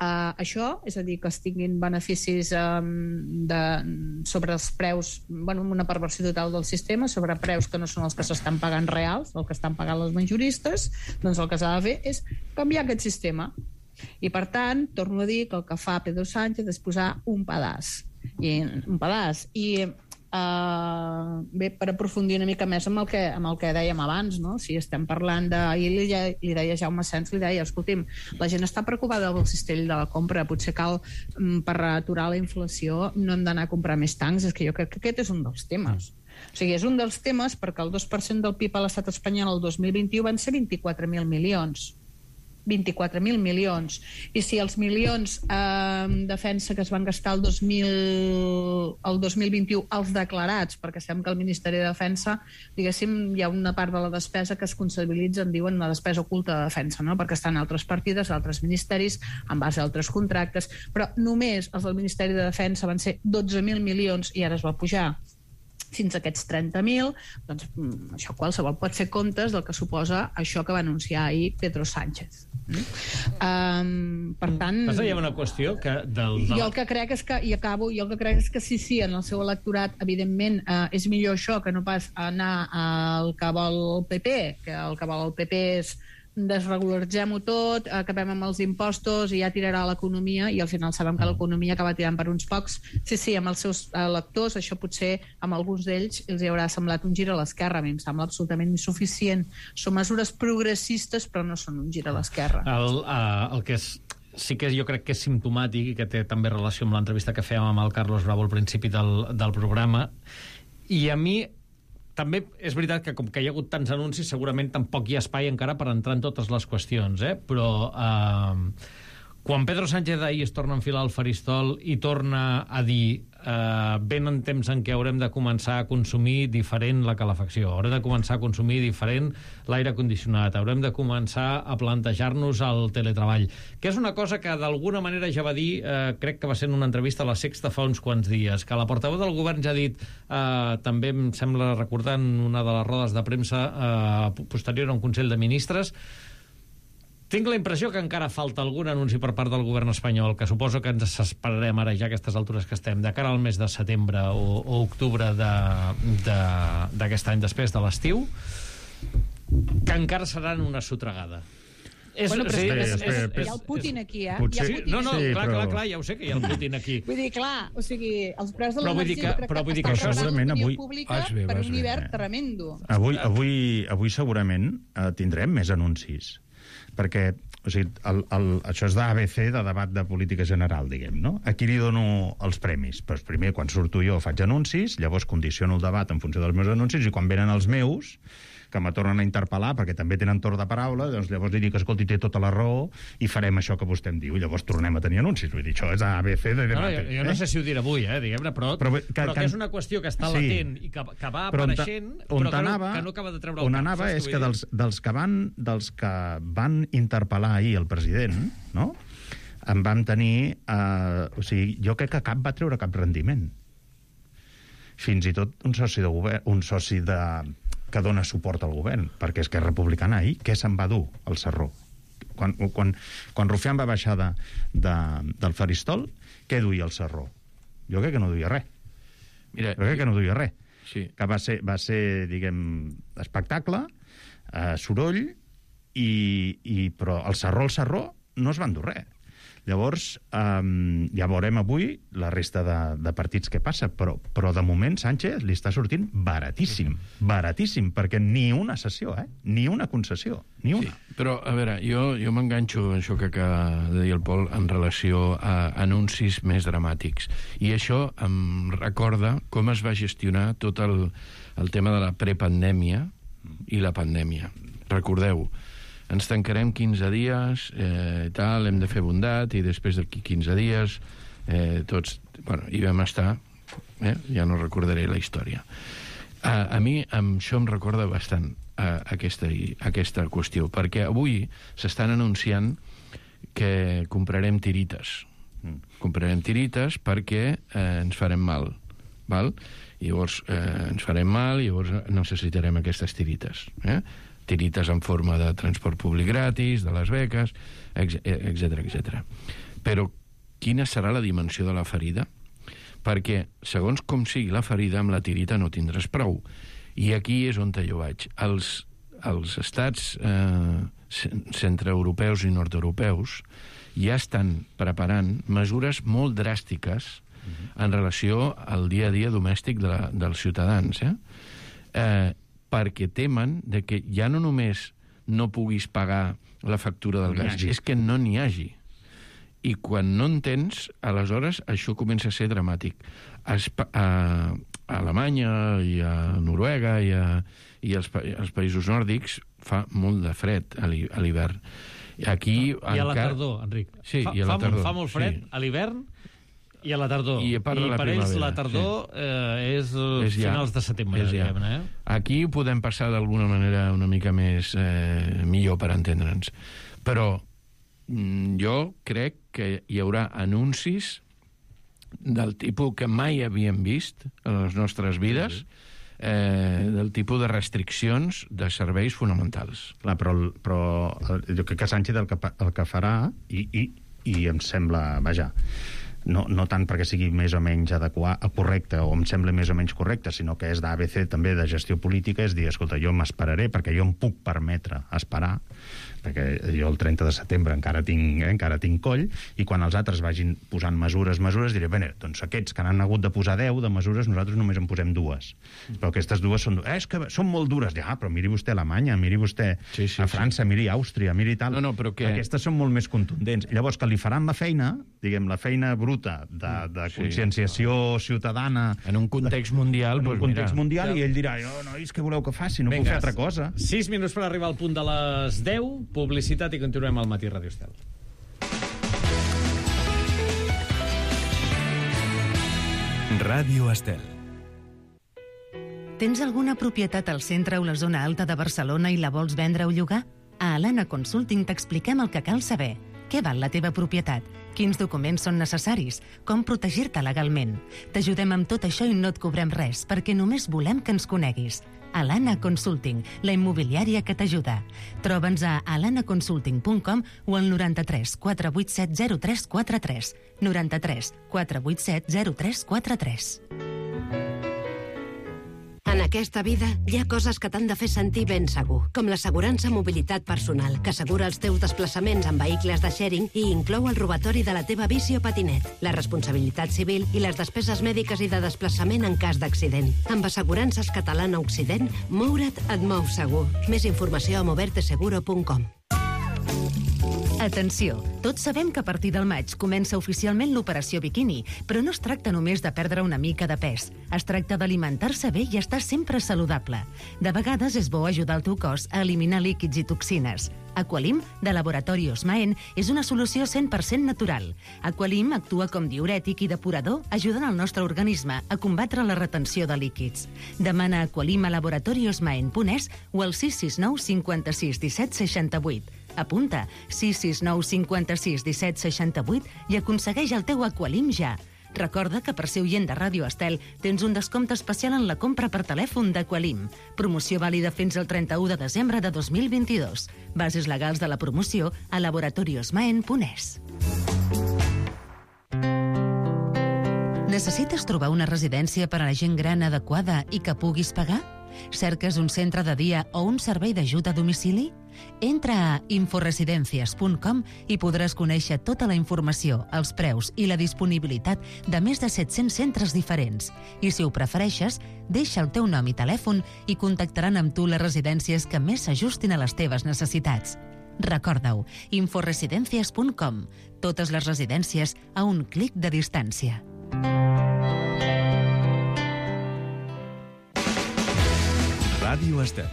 [SPEAKER 9] Uh, això, és a dir, que es tinguin beneficis um, de, sobre els preus, bueno, una perversió total del sistema, sobre preus que no són els que s'estan pagant reals, el que estan pagant els majoristes, doncs el que s'ha de fer és canviar aquest sistema. I per tant, torno a dir que el que fa Pedro Sánchez és posar un pedaç. I, un pedaç. I Uh, bé, per aprofundir una mica més amb el que, amb el que dèiem abans, no? Si estem parlant de... Ahir li, li deia Jaume Sens, li deia, escolti'm, la gent està preocupada del cistell de la compra, potser cal, per aturar la inflació, no hem d'anar a comprar més tancs, és que jo crec que aquest és un dels temes. O sigui, és un dels temes perquè el dos per cent del P I B a l'estat espanyol el dos mil vint-i-u van ser vint-i-quatre mil milions. vint-i-quatre mil milions. I si els milions eh, en defensa que es van gastar el dos mil, el dos mil vint-i-u, els declarats, perquè sabem que el Ministeri de Defensa, diguéssim, hi ha una part de la despesa que es comptabilitza, en diuen la despesa oculta de defensa, no? Perquè estan altres partides, altres ministeris, en base a altres contractes, però només els del Ministeri de Defensa van ser dotze mil milions i ara es va pujar fins a aquests trenta mil, doncs això qualsevol pot fer comptes del que suposa això que va anunciar ahir Pedro Sánchez. Mm? Um, per tant...
[SPEAKER 6] Passa, hi ha una qüestió que... Del, del...
[SPEAKER 9] Jo el que crec és que, i acabo, jo el que crec és que sí, sí, en el seu electorat, evidentment, uh, és millor això que no pas anar al que vol el P P, que el que vol el P P és desregularitzem-ho tot, acabem amb els impostos i ja tirarà l'economia, i al final sabem que l'economia acaba tirant per uns pocs. Sí, sí, amb els seus electors, això potser amb alguns d'ells els hi haurà semblat un gir a l'esquerra. A mi em sembla absolutament insuficient. Són mesures progressistes, però no són un gir a l'esquerra.
[SPEAKER 6] El, uh, el que és sí que jo crec que és simptomàtic i que té també relació amb l'entrevista que fèiem amb el Carlos Bravo al principi del, del programa, i a mi també és veritat que com que hi ha hagut tants anuncis, segurament tampoc hi ha espai encara per entrar en totes les qüestions, eh? Però eh, quan Pedro Sánchez ahir es torna a enfilar al faristol i torna a dir eh, venen temps en què haurem de començar a consumir diferent la calefacció, haurem de començar a consumir diferent l'aire condicionat, haurem de començar a plantejar-nos el teletreball, que és una cosa que d'alguna manera ja va dir, eh, crec que va ser en una entrevista a La Sexta fa uns quants dies, que la portaveu del govern ja ha dit, eh, també em sembla recordar en una de les rodes de premsa eh, posterior a un Consell de Ministres. Tinc la impressió que encara falta algun anunci per part del govern espanyol, que suposo que ens esperarem ara ja a aquestes altures que estem, de cara al mes de setembre o, o octubre d'aquest any, després de l'estiu, que encara seran una sotragada. És,
[SPEAKER 14] bueno, però
[SPEAKER 6] sí,
[SPEAKER 14] és,
[SPEAKER 6] és, és,
[SPEAKER 14] és, hi ha el Putin aquí, eh?
[SPEAKER 6] Potser,
[SPEAKER 14] hi ha Putin
[SPEAKER 6] no, no,
[SPEAKER 14] aquí.
[SPEAKER 6] clar, clar, clar, ja ho sé que hi ha el Putin aquí.
[SPEAKER 14] Vull dir, clar, o sigui, els preus de
[SPEAKER 6] Però vull dir
[SPEAKER 14] l'energia
[SPEAKER 6] que- però vull dir que
[SPEAKER 14] estan
[SPEAKER 6] això
[SPEAKER 14] preparant
[SPEAKER 8] segurament
[SPEAKER 14] l'opinió
[SPEAKER 8] avui-
[SPEAKER 14] pública
[SPEAKER 8] Vas bé,
[SPEAKER 14] per
[SPEAKER 8] vas
[SPEAKER 14] un
[SPEAKER 8] bé.
[SPEAKER 14] hivern tremendo.
[SPEAKER 8] Avui, avui, avui segurament eh, tindrem més anuncis, perquè o sigui, el, el, això és d'A B C, de debat de política general, diguem, no? Aquí li dono els premis. Pues primer, quan surto jo, faig anuncis, llavors condiciono el debat en funció dels meus anuncis, i quan venen els meus, que me tornen a interpel·lar, perquè també tenen torn de paraula, doncs llavors li dic, escolti, té tota la raó, i farem això que vostè em diu, i llavors tornem a tenir anuncis. Vull dir, això és A B C de
[SPEAKER 6] No, no,
[SPEAKER 8] debat.
[SPEAKER 6] jo, jo no sé si ho diré avui, eh, diguem-ne, però,
[SPEAKER 8] Però,
[SPEAKER 6] però,
[SPEAKER 8] que-
[SPEAKER 6] però que,
[SPEAKER 8] que-
[SPEAKER 6] és una qüestió que està
[SPEAKER 8] sí.
[SPEAKER 6] latent i que, que va
[SPEAKER 8] Però on ta-
[SPEAKER 6] apareixent,
[SPEAKER 8] on
[SPEAKER 6] però que no,
[SPEAKER 8] t'anava-
[SPEAKER 6] que no acaba de treure el
[SPEAKER 8] on
[SPEAKER 6] cap.
[SPEAKER 8] anava
[SPEAKER 6] saps
[SPEAKER 8] és
[SPEAKER 6] què
[SPEAKER 8] que
[SPEAKER 6] vull dir?
[SPEAKER 8] dels, dels, que van, dels que van interpel·lar ahir el president, no? En vam tenir... Eh, o sigui, jo crec que cap va treure cap rendiment. Fins i tot un soci de govern, un soci de, que dona suport al govern, perquè és que és republicana ahir, què se'n va dur al Sarró? Quan, quan, quan Rufián va baixar de, de, del faristol, què duia el Sarró? Jo crec que no duia res.
[SPEAKER 7] Mira,
[SPEAKER 8] jo crec que no duia res.
[SPEAKER 7] Sí.
[SPEAKER 8] Que va ser, va ser diguem, espectacle, eh, soroll, i, i, però el Sarró, el Sarró, no es van dur res. Llavors, um, ja veurem avui la resta de, de partits que passa, però, però de moment Sánchez li està sortint baratíssim, baratíssim, perquè ni una sessió, eh? Ni una concessió, ni una.
[SPEAKER 7] Sí, però, a veure, jo, jo m'enganxo a això que acaba de dir el Pol en relació a anuncis més dramàtics. I això em recorda com es va gestionar tot el, el tema de la prepandèmia i la pandèmia. Recordeu, ens tancarem quinze dies, eh, tal, hem de fer bondat, i després d'aquí quinze dies eh, tots, bueno, hi vam estar, eh, ja no recordaré la història. A, a mi amb això em recorda bastant a, aquesta, aquesta qüestió, perquè avui s'estan anunciant que comprarem tirites. Mm. Comprarem tirites perquè eh, ens farem mal, val? I llavors eh, ens farem mal i llavors necessitarem aquestes tirites, eh? Tirites en forma de transport públic gratis, de les beques, etcètera, etcètera. Però quina serà la dimensió de la ferida? Perquè, segons com sigui la ferida, amb la tirita no tindràs prou. I aquí és on jo vaig. Els, els estats eh, centreeuropeus i nord-europeus ja estan preparant mesures molt dràstiques en relació al dia a dia domèstic de la, dels ciutadans, eh? Eh, perquè temen de que ja no només no puguis pagar la factura del gas, és que no n'hi hagi. I quan no en tens, aleshores això comença a ser dramàtic. A, Espa a, a Alemanya i a Noruega i, a, i als, pa als països nòrdics fa molt de fred a l'hivern. Aquí
[SPEAKER 6] I a la
[SPEAKER 7] encara...
[SPEAKER 6] tardor, Enric.
[SPEAKER 7] Sí,
[SPEAKER 6] fa,
[SPEAKER 7] i a la
[SPEAKER 6] fa,
[SPEAKER 7] tardor.
[SPEAKER 6] Fa molt fred
[SPEAKER 7] sí.
[SPEAKER 6] a l'hivern i a la tardor.
[SPEAKER 7] I a part de la
[SPEAKER 6] per ells
[SPEAKER 7] primavera,
[SPEAKER 6] la tardor
[SPEAKER 7] sí.
[SPEAKER 6] eh, és,
[SPEAKER 7] És ja.
[SPEAKER 6] finals de setembre,
[SPEAKER 7] És ja.
[SPEAKER 6] diguem-ne. Eh?
[SPEAKER 7] Aquí ho podem passar d'alguna manera una mica més eh, millor per entendre'ns. Però mm, jo crec que hi haurà anuncis del tipus que mai havíem vist en les nostres vides, eh, del tipus de restriccions de serveis fonamentals.
[SPEAKER 8] Clar, però, però jo crec que Sánchez el que, el que farà, i, i, i em sembla, vaja, no, no tant perquè sigui més o menys adequat, correcte, o em sembla més o menys correcte, sinó que és d'A B C també de gestió política, és dir, escolta, jo m'esperaré perquè jo em puc permetre esperar, perquè jo el trenta de setembre encara tinc, eh, encara tinc coll, i quan els altres vagin posant mesures, mesures, diré, bé, doncs aquests que han hagut de posar deu de mesures, nosaltres només en posem dues. Però aquestes dues són, eh, és que són molt dures. Ja, però miri vostè Alemanya, miri vostè sí, sí, a França, sí. miri Àustria, miri tal.
[SPEAKER 7] No, no, però que...
[SPEAKER 8] Aquestes són molt més contundents. Llavors, que li faran la feina, diguem, la feina bruta de, de
[SPEAKER 7] sí,
[SPEAKER 8] conscienciació ciutadana...
[SPEAKER 7] En un context mundial,
[SPEAKER 8] En un
[SPEAKER 7] pues,
[SPEAKER 8] context
[SPEAKER 7] mira.
[SPEAKER 8] mundial, i ell dirà, jo, nois, què voleu que faci? No
[SPEAKER 6] Vinga,
[SPEAKER 8] puc fer altra cosa.
[SPEAKER 6] sis minuts per arribar al punt de les deu, publicitat i continuem al Matí Ràdio Estel.
[SPEAKER 5] Ràdio Estel.
[SPEAKER 12] Tens alguna propietat al centre o la zona alta de Barcelona i la vols vendre o llogar? A Alana Consulting t'expliquem el que cal saber. Què val la teva propietat? Quins documents són necessaris? Com protegir-te legalment? T'ajudem amb tot això i no et cobrem res, perquè només volem que ens coneguis. Alana Consulting, la immobiliària que t'ajuda. Troba'ns a alana consulting punt com o al noranta-tres quatre vuit set zero tres quatre tres. noranta-tres quatre vuit set zero tres quatre tres.
[SPEAKER 15] En aquesta vida hi ha coses que t'han de fer sentir ben segur, com l'assegurança mobilitat personal, que assegura els teus desplaçaments en vehicles de sharing i inclou el robatori de la teva bici o patinet, la responsabilitat civil i les despeses mèdiques i de desplaçament en cas d'accident. Amb Assegurances Catalana Occident, moure't et mou segur. Més informació a moverte seguro punt com.
[SPEAKER 12] Atenció, tots sabem que a partir del maig comença oficialment l'operació biquini, però no es tracta només de perdre una mica de pes. Es tracta d'alimentar-se bé i estar sempre saludable. De vegades és bo ajudar el teu cos a eliminar líquids i toxines. Aqualim, de Laboratori Osmaen, és una solució cent per cent natural. Aqualim actua com diürètic i depurador, ajudant el nostre organisme a combatre la retenció de líquids. Demana Aqualim a laboratori osmaen punt es o al sis sis nou cinquanta-sis disset seixanta-vuit. Apunta sis sis nou cinquanta-sis disset seixanta-vuit i aconsegueix el teu Aqualim ja. Recorda que per ser oient de Ràdio Estel tens un descompte especial en la compra per telèfon d'Aqualim. Promoció vàlida fins al trenta-u de desembre de dos mil vint-i-dos. Bases legals de la promoció a laboratori osmaen punt es. Necessites trobar una residència per a la gent gran adequada i que puguis pagar? Cerques un centre de dia o un servei d'ajuda a domicili? Entra a inforesidencias punt com i podràs conèixer tota la informació, els preus i la disponibilitat de més de set-cents centres diferents. I si ho prefereixes, deixa el teu nom i telèfon i contactaran amb tu les residències que més s'ajustin a les teves necessitats. Recorda-ho, inforesidencias punt com. Totes les residències a un clic de distància.
[SPEAKER 5] Ràdio Estel.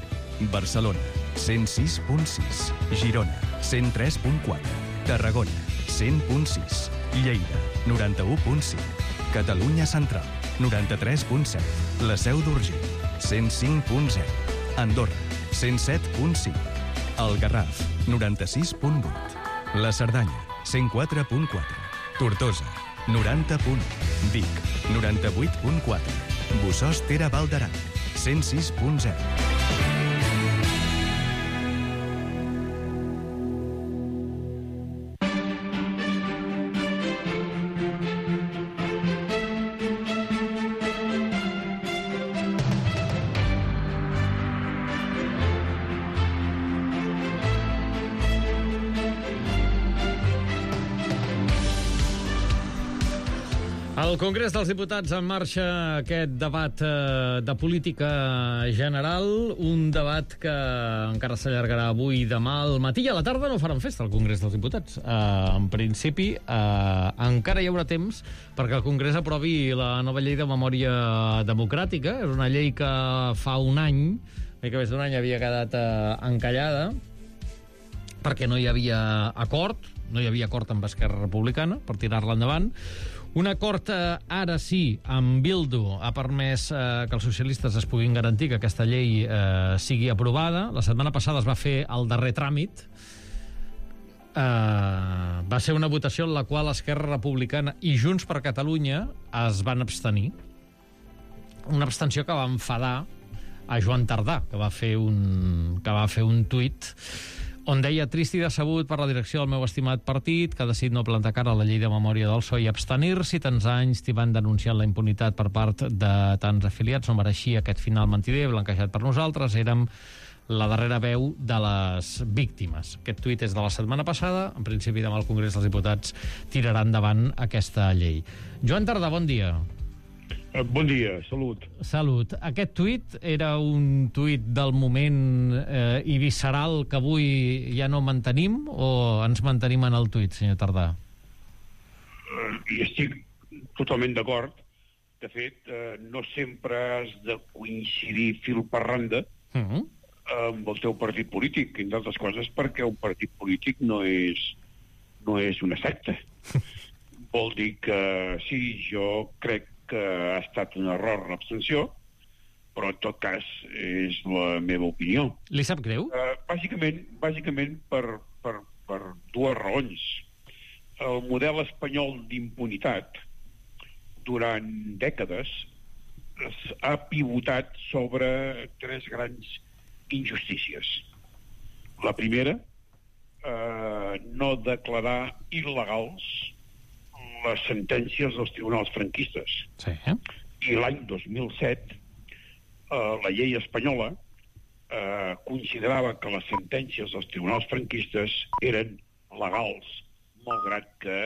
[SPEAKER 5] Barcelona, cent sis punt sis. Girona, cent tres punt quatre. Tarragona, cent punt sis. Lleida, noranta-u punt cinc. Catalunya Central, noranta-tres punt set. La Seu d'Urgell, cent cinc punt zero. Andorra, cent set punt cinc. El Garraf, noranta-sis punt vuit. La Cerdanya, cent quatre punt quatre. Tortosa, noranta punt u. Vic, noranta-vuit punt quatre. Bussòs Ter Val d'Aran, cent sis punt zero.
[SPEAKER 6] Al Congrés dels Diputats en marxa aquest debat eh, de política general, un debat que encara s'allargarà avui i demà al matí i a la tarda no faran festa al Congrés dels Diputats. Eh, en principi, eh, encara hi haurà temps perquè el Congrés aprovi la nova llei de memòria democràtica. És una llei que fa un any, mica més d'un any, havia quedat eh, encallada perquè no hi havia acord, no hi havia acord amb Esquerra Republicana per tirar-la endavant. Un acord, eh, ara sí, amb Bildu ha permès eh, que els socialistes es puguin garantir que aquesta llei eh, sigui aprovada. La setmana passada es va fer el darrer tràmit. Eh, va ser una votació en la qual Esquerra Republicana i Junts per Catalunya es van abstenir. Una abstenció que va enfadar a Joan Tardà, que va fer un, que va fer un tuit on deia: trist i decebut per la direcció del meu estimat partit, que ha decidit no plantar cara a la llei de memòria del P S O E i abstenir-s'hi. Tants anys t'hi van denunciant la impunitat per part de tants afiliats. No mereixia aquest final mentider, blanquejat per nosaltres. Érem la darrera veu de les víctimes. Aquest tuit és de la setmana passada. En principi, demà al Congrés dels Diputats tirarà endavant aquesta llei. Joan Tardà, bon dia.
[SPEAKER 16] Bon dia, salut.
[SPEAKER 6] Salut. Aquest tuit era un tuit del moment eh, i visceral que avui ja no mantenim, o ens mantenim en el tuit, senyor Tardà?
[SPEAKER 16] Uh, I estic totalment d'acord. De fet, uh, no sempre has de coincidir fil per randa uh -huh. amb el teu partit polític, entre altres coses perquè un partit polític no és, no és una secta. Vol dir que sí, jo crec que ha estat un error l'abstenció, però en tot cas és la meva opinió.
[SPEAKER 6] Li sap greu?
[SPEAKER 16] Uh, bàsicament bàsicament per, per, per dues raons. El model espanyol d'impunitat durant dècades ha pivotat sobre tres grans injustícies. La primera, eh, no declarar il·legals les sentències dels tribunals franquistes.
[SPEAKER 6] Sí.
[SPEAKER 16] I l'any dos mil set, eh, la llei espanyola eh, considerava que les sentències dels tribunals franquistes eren legals, malgrat que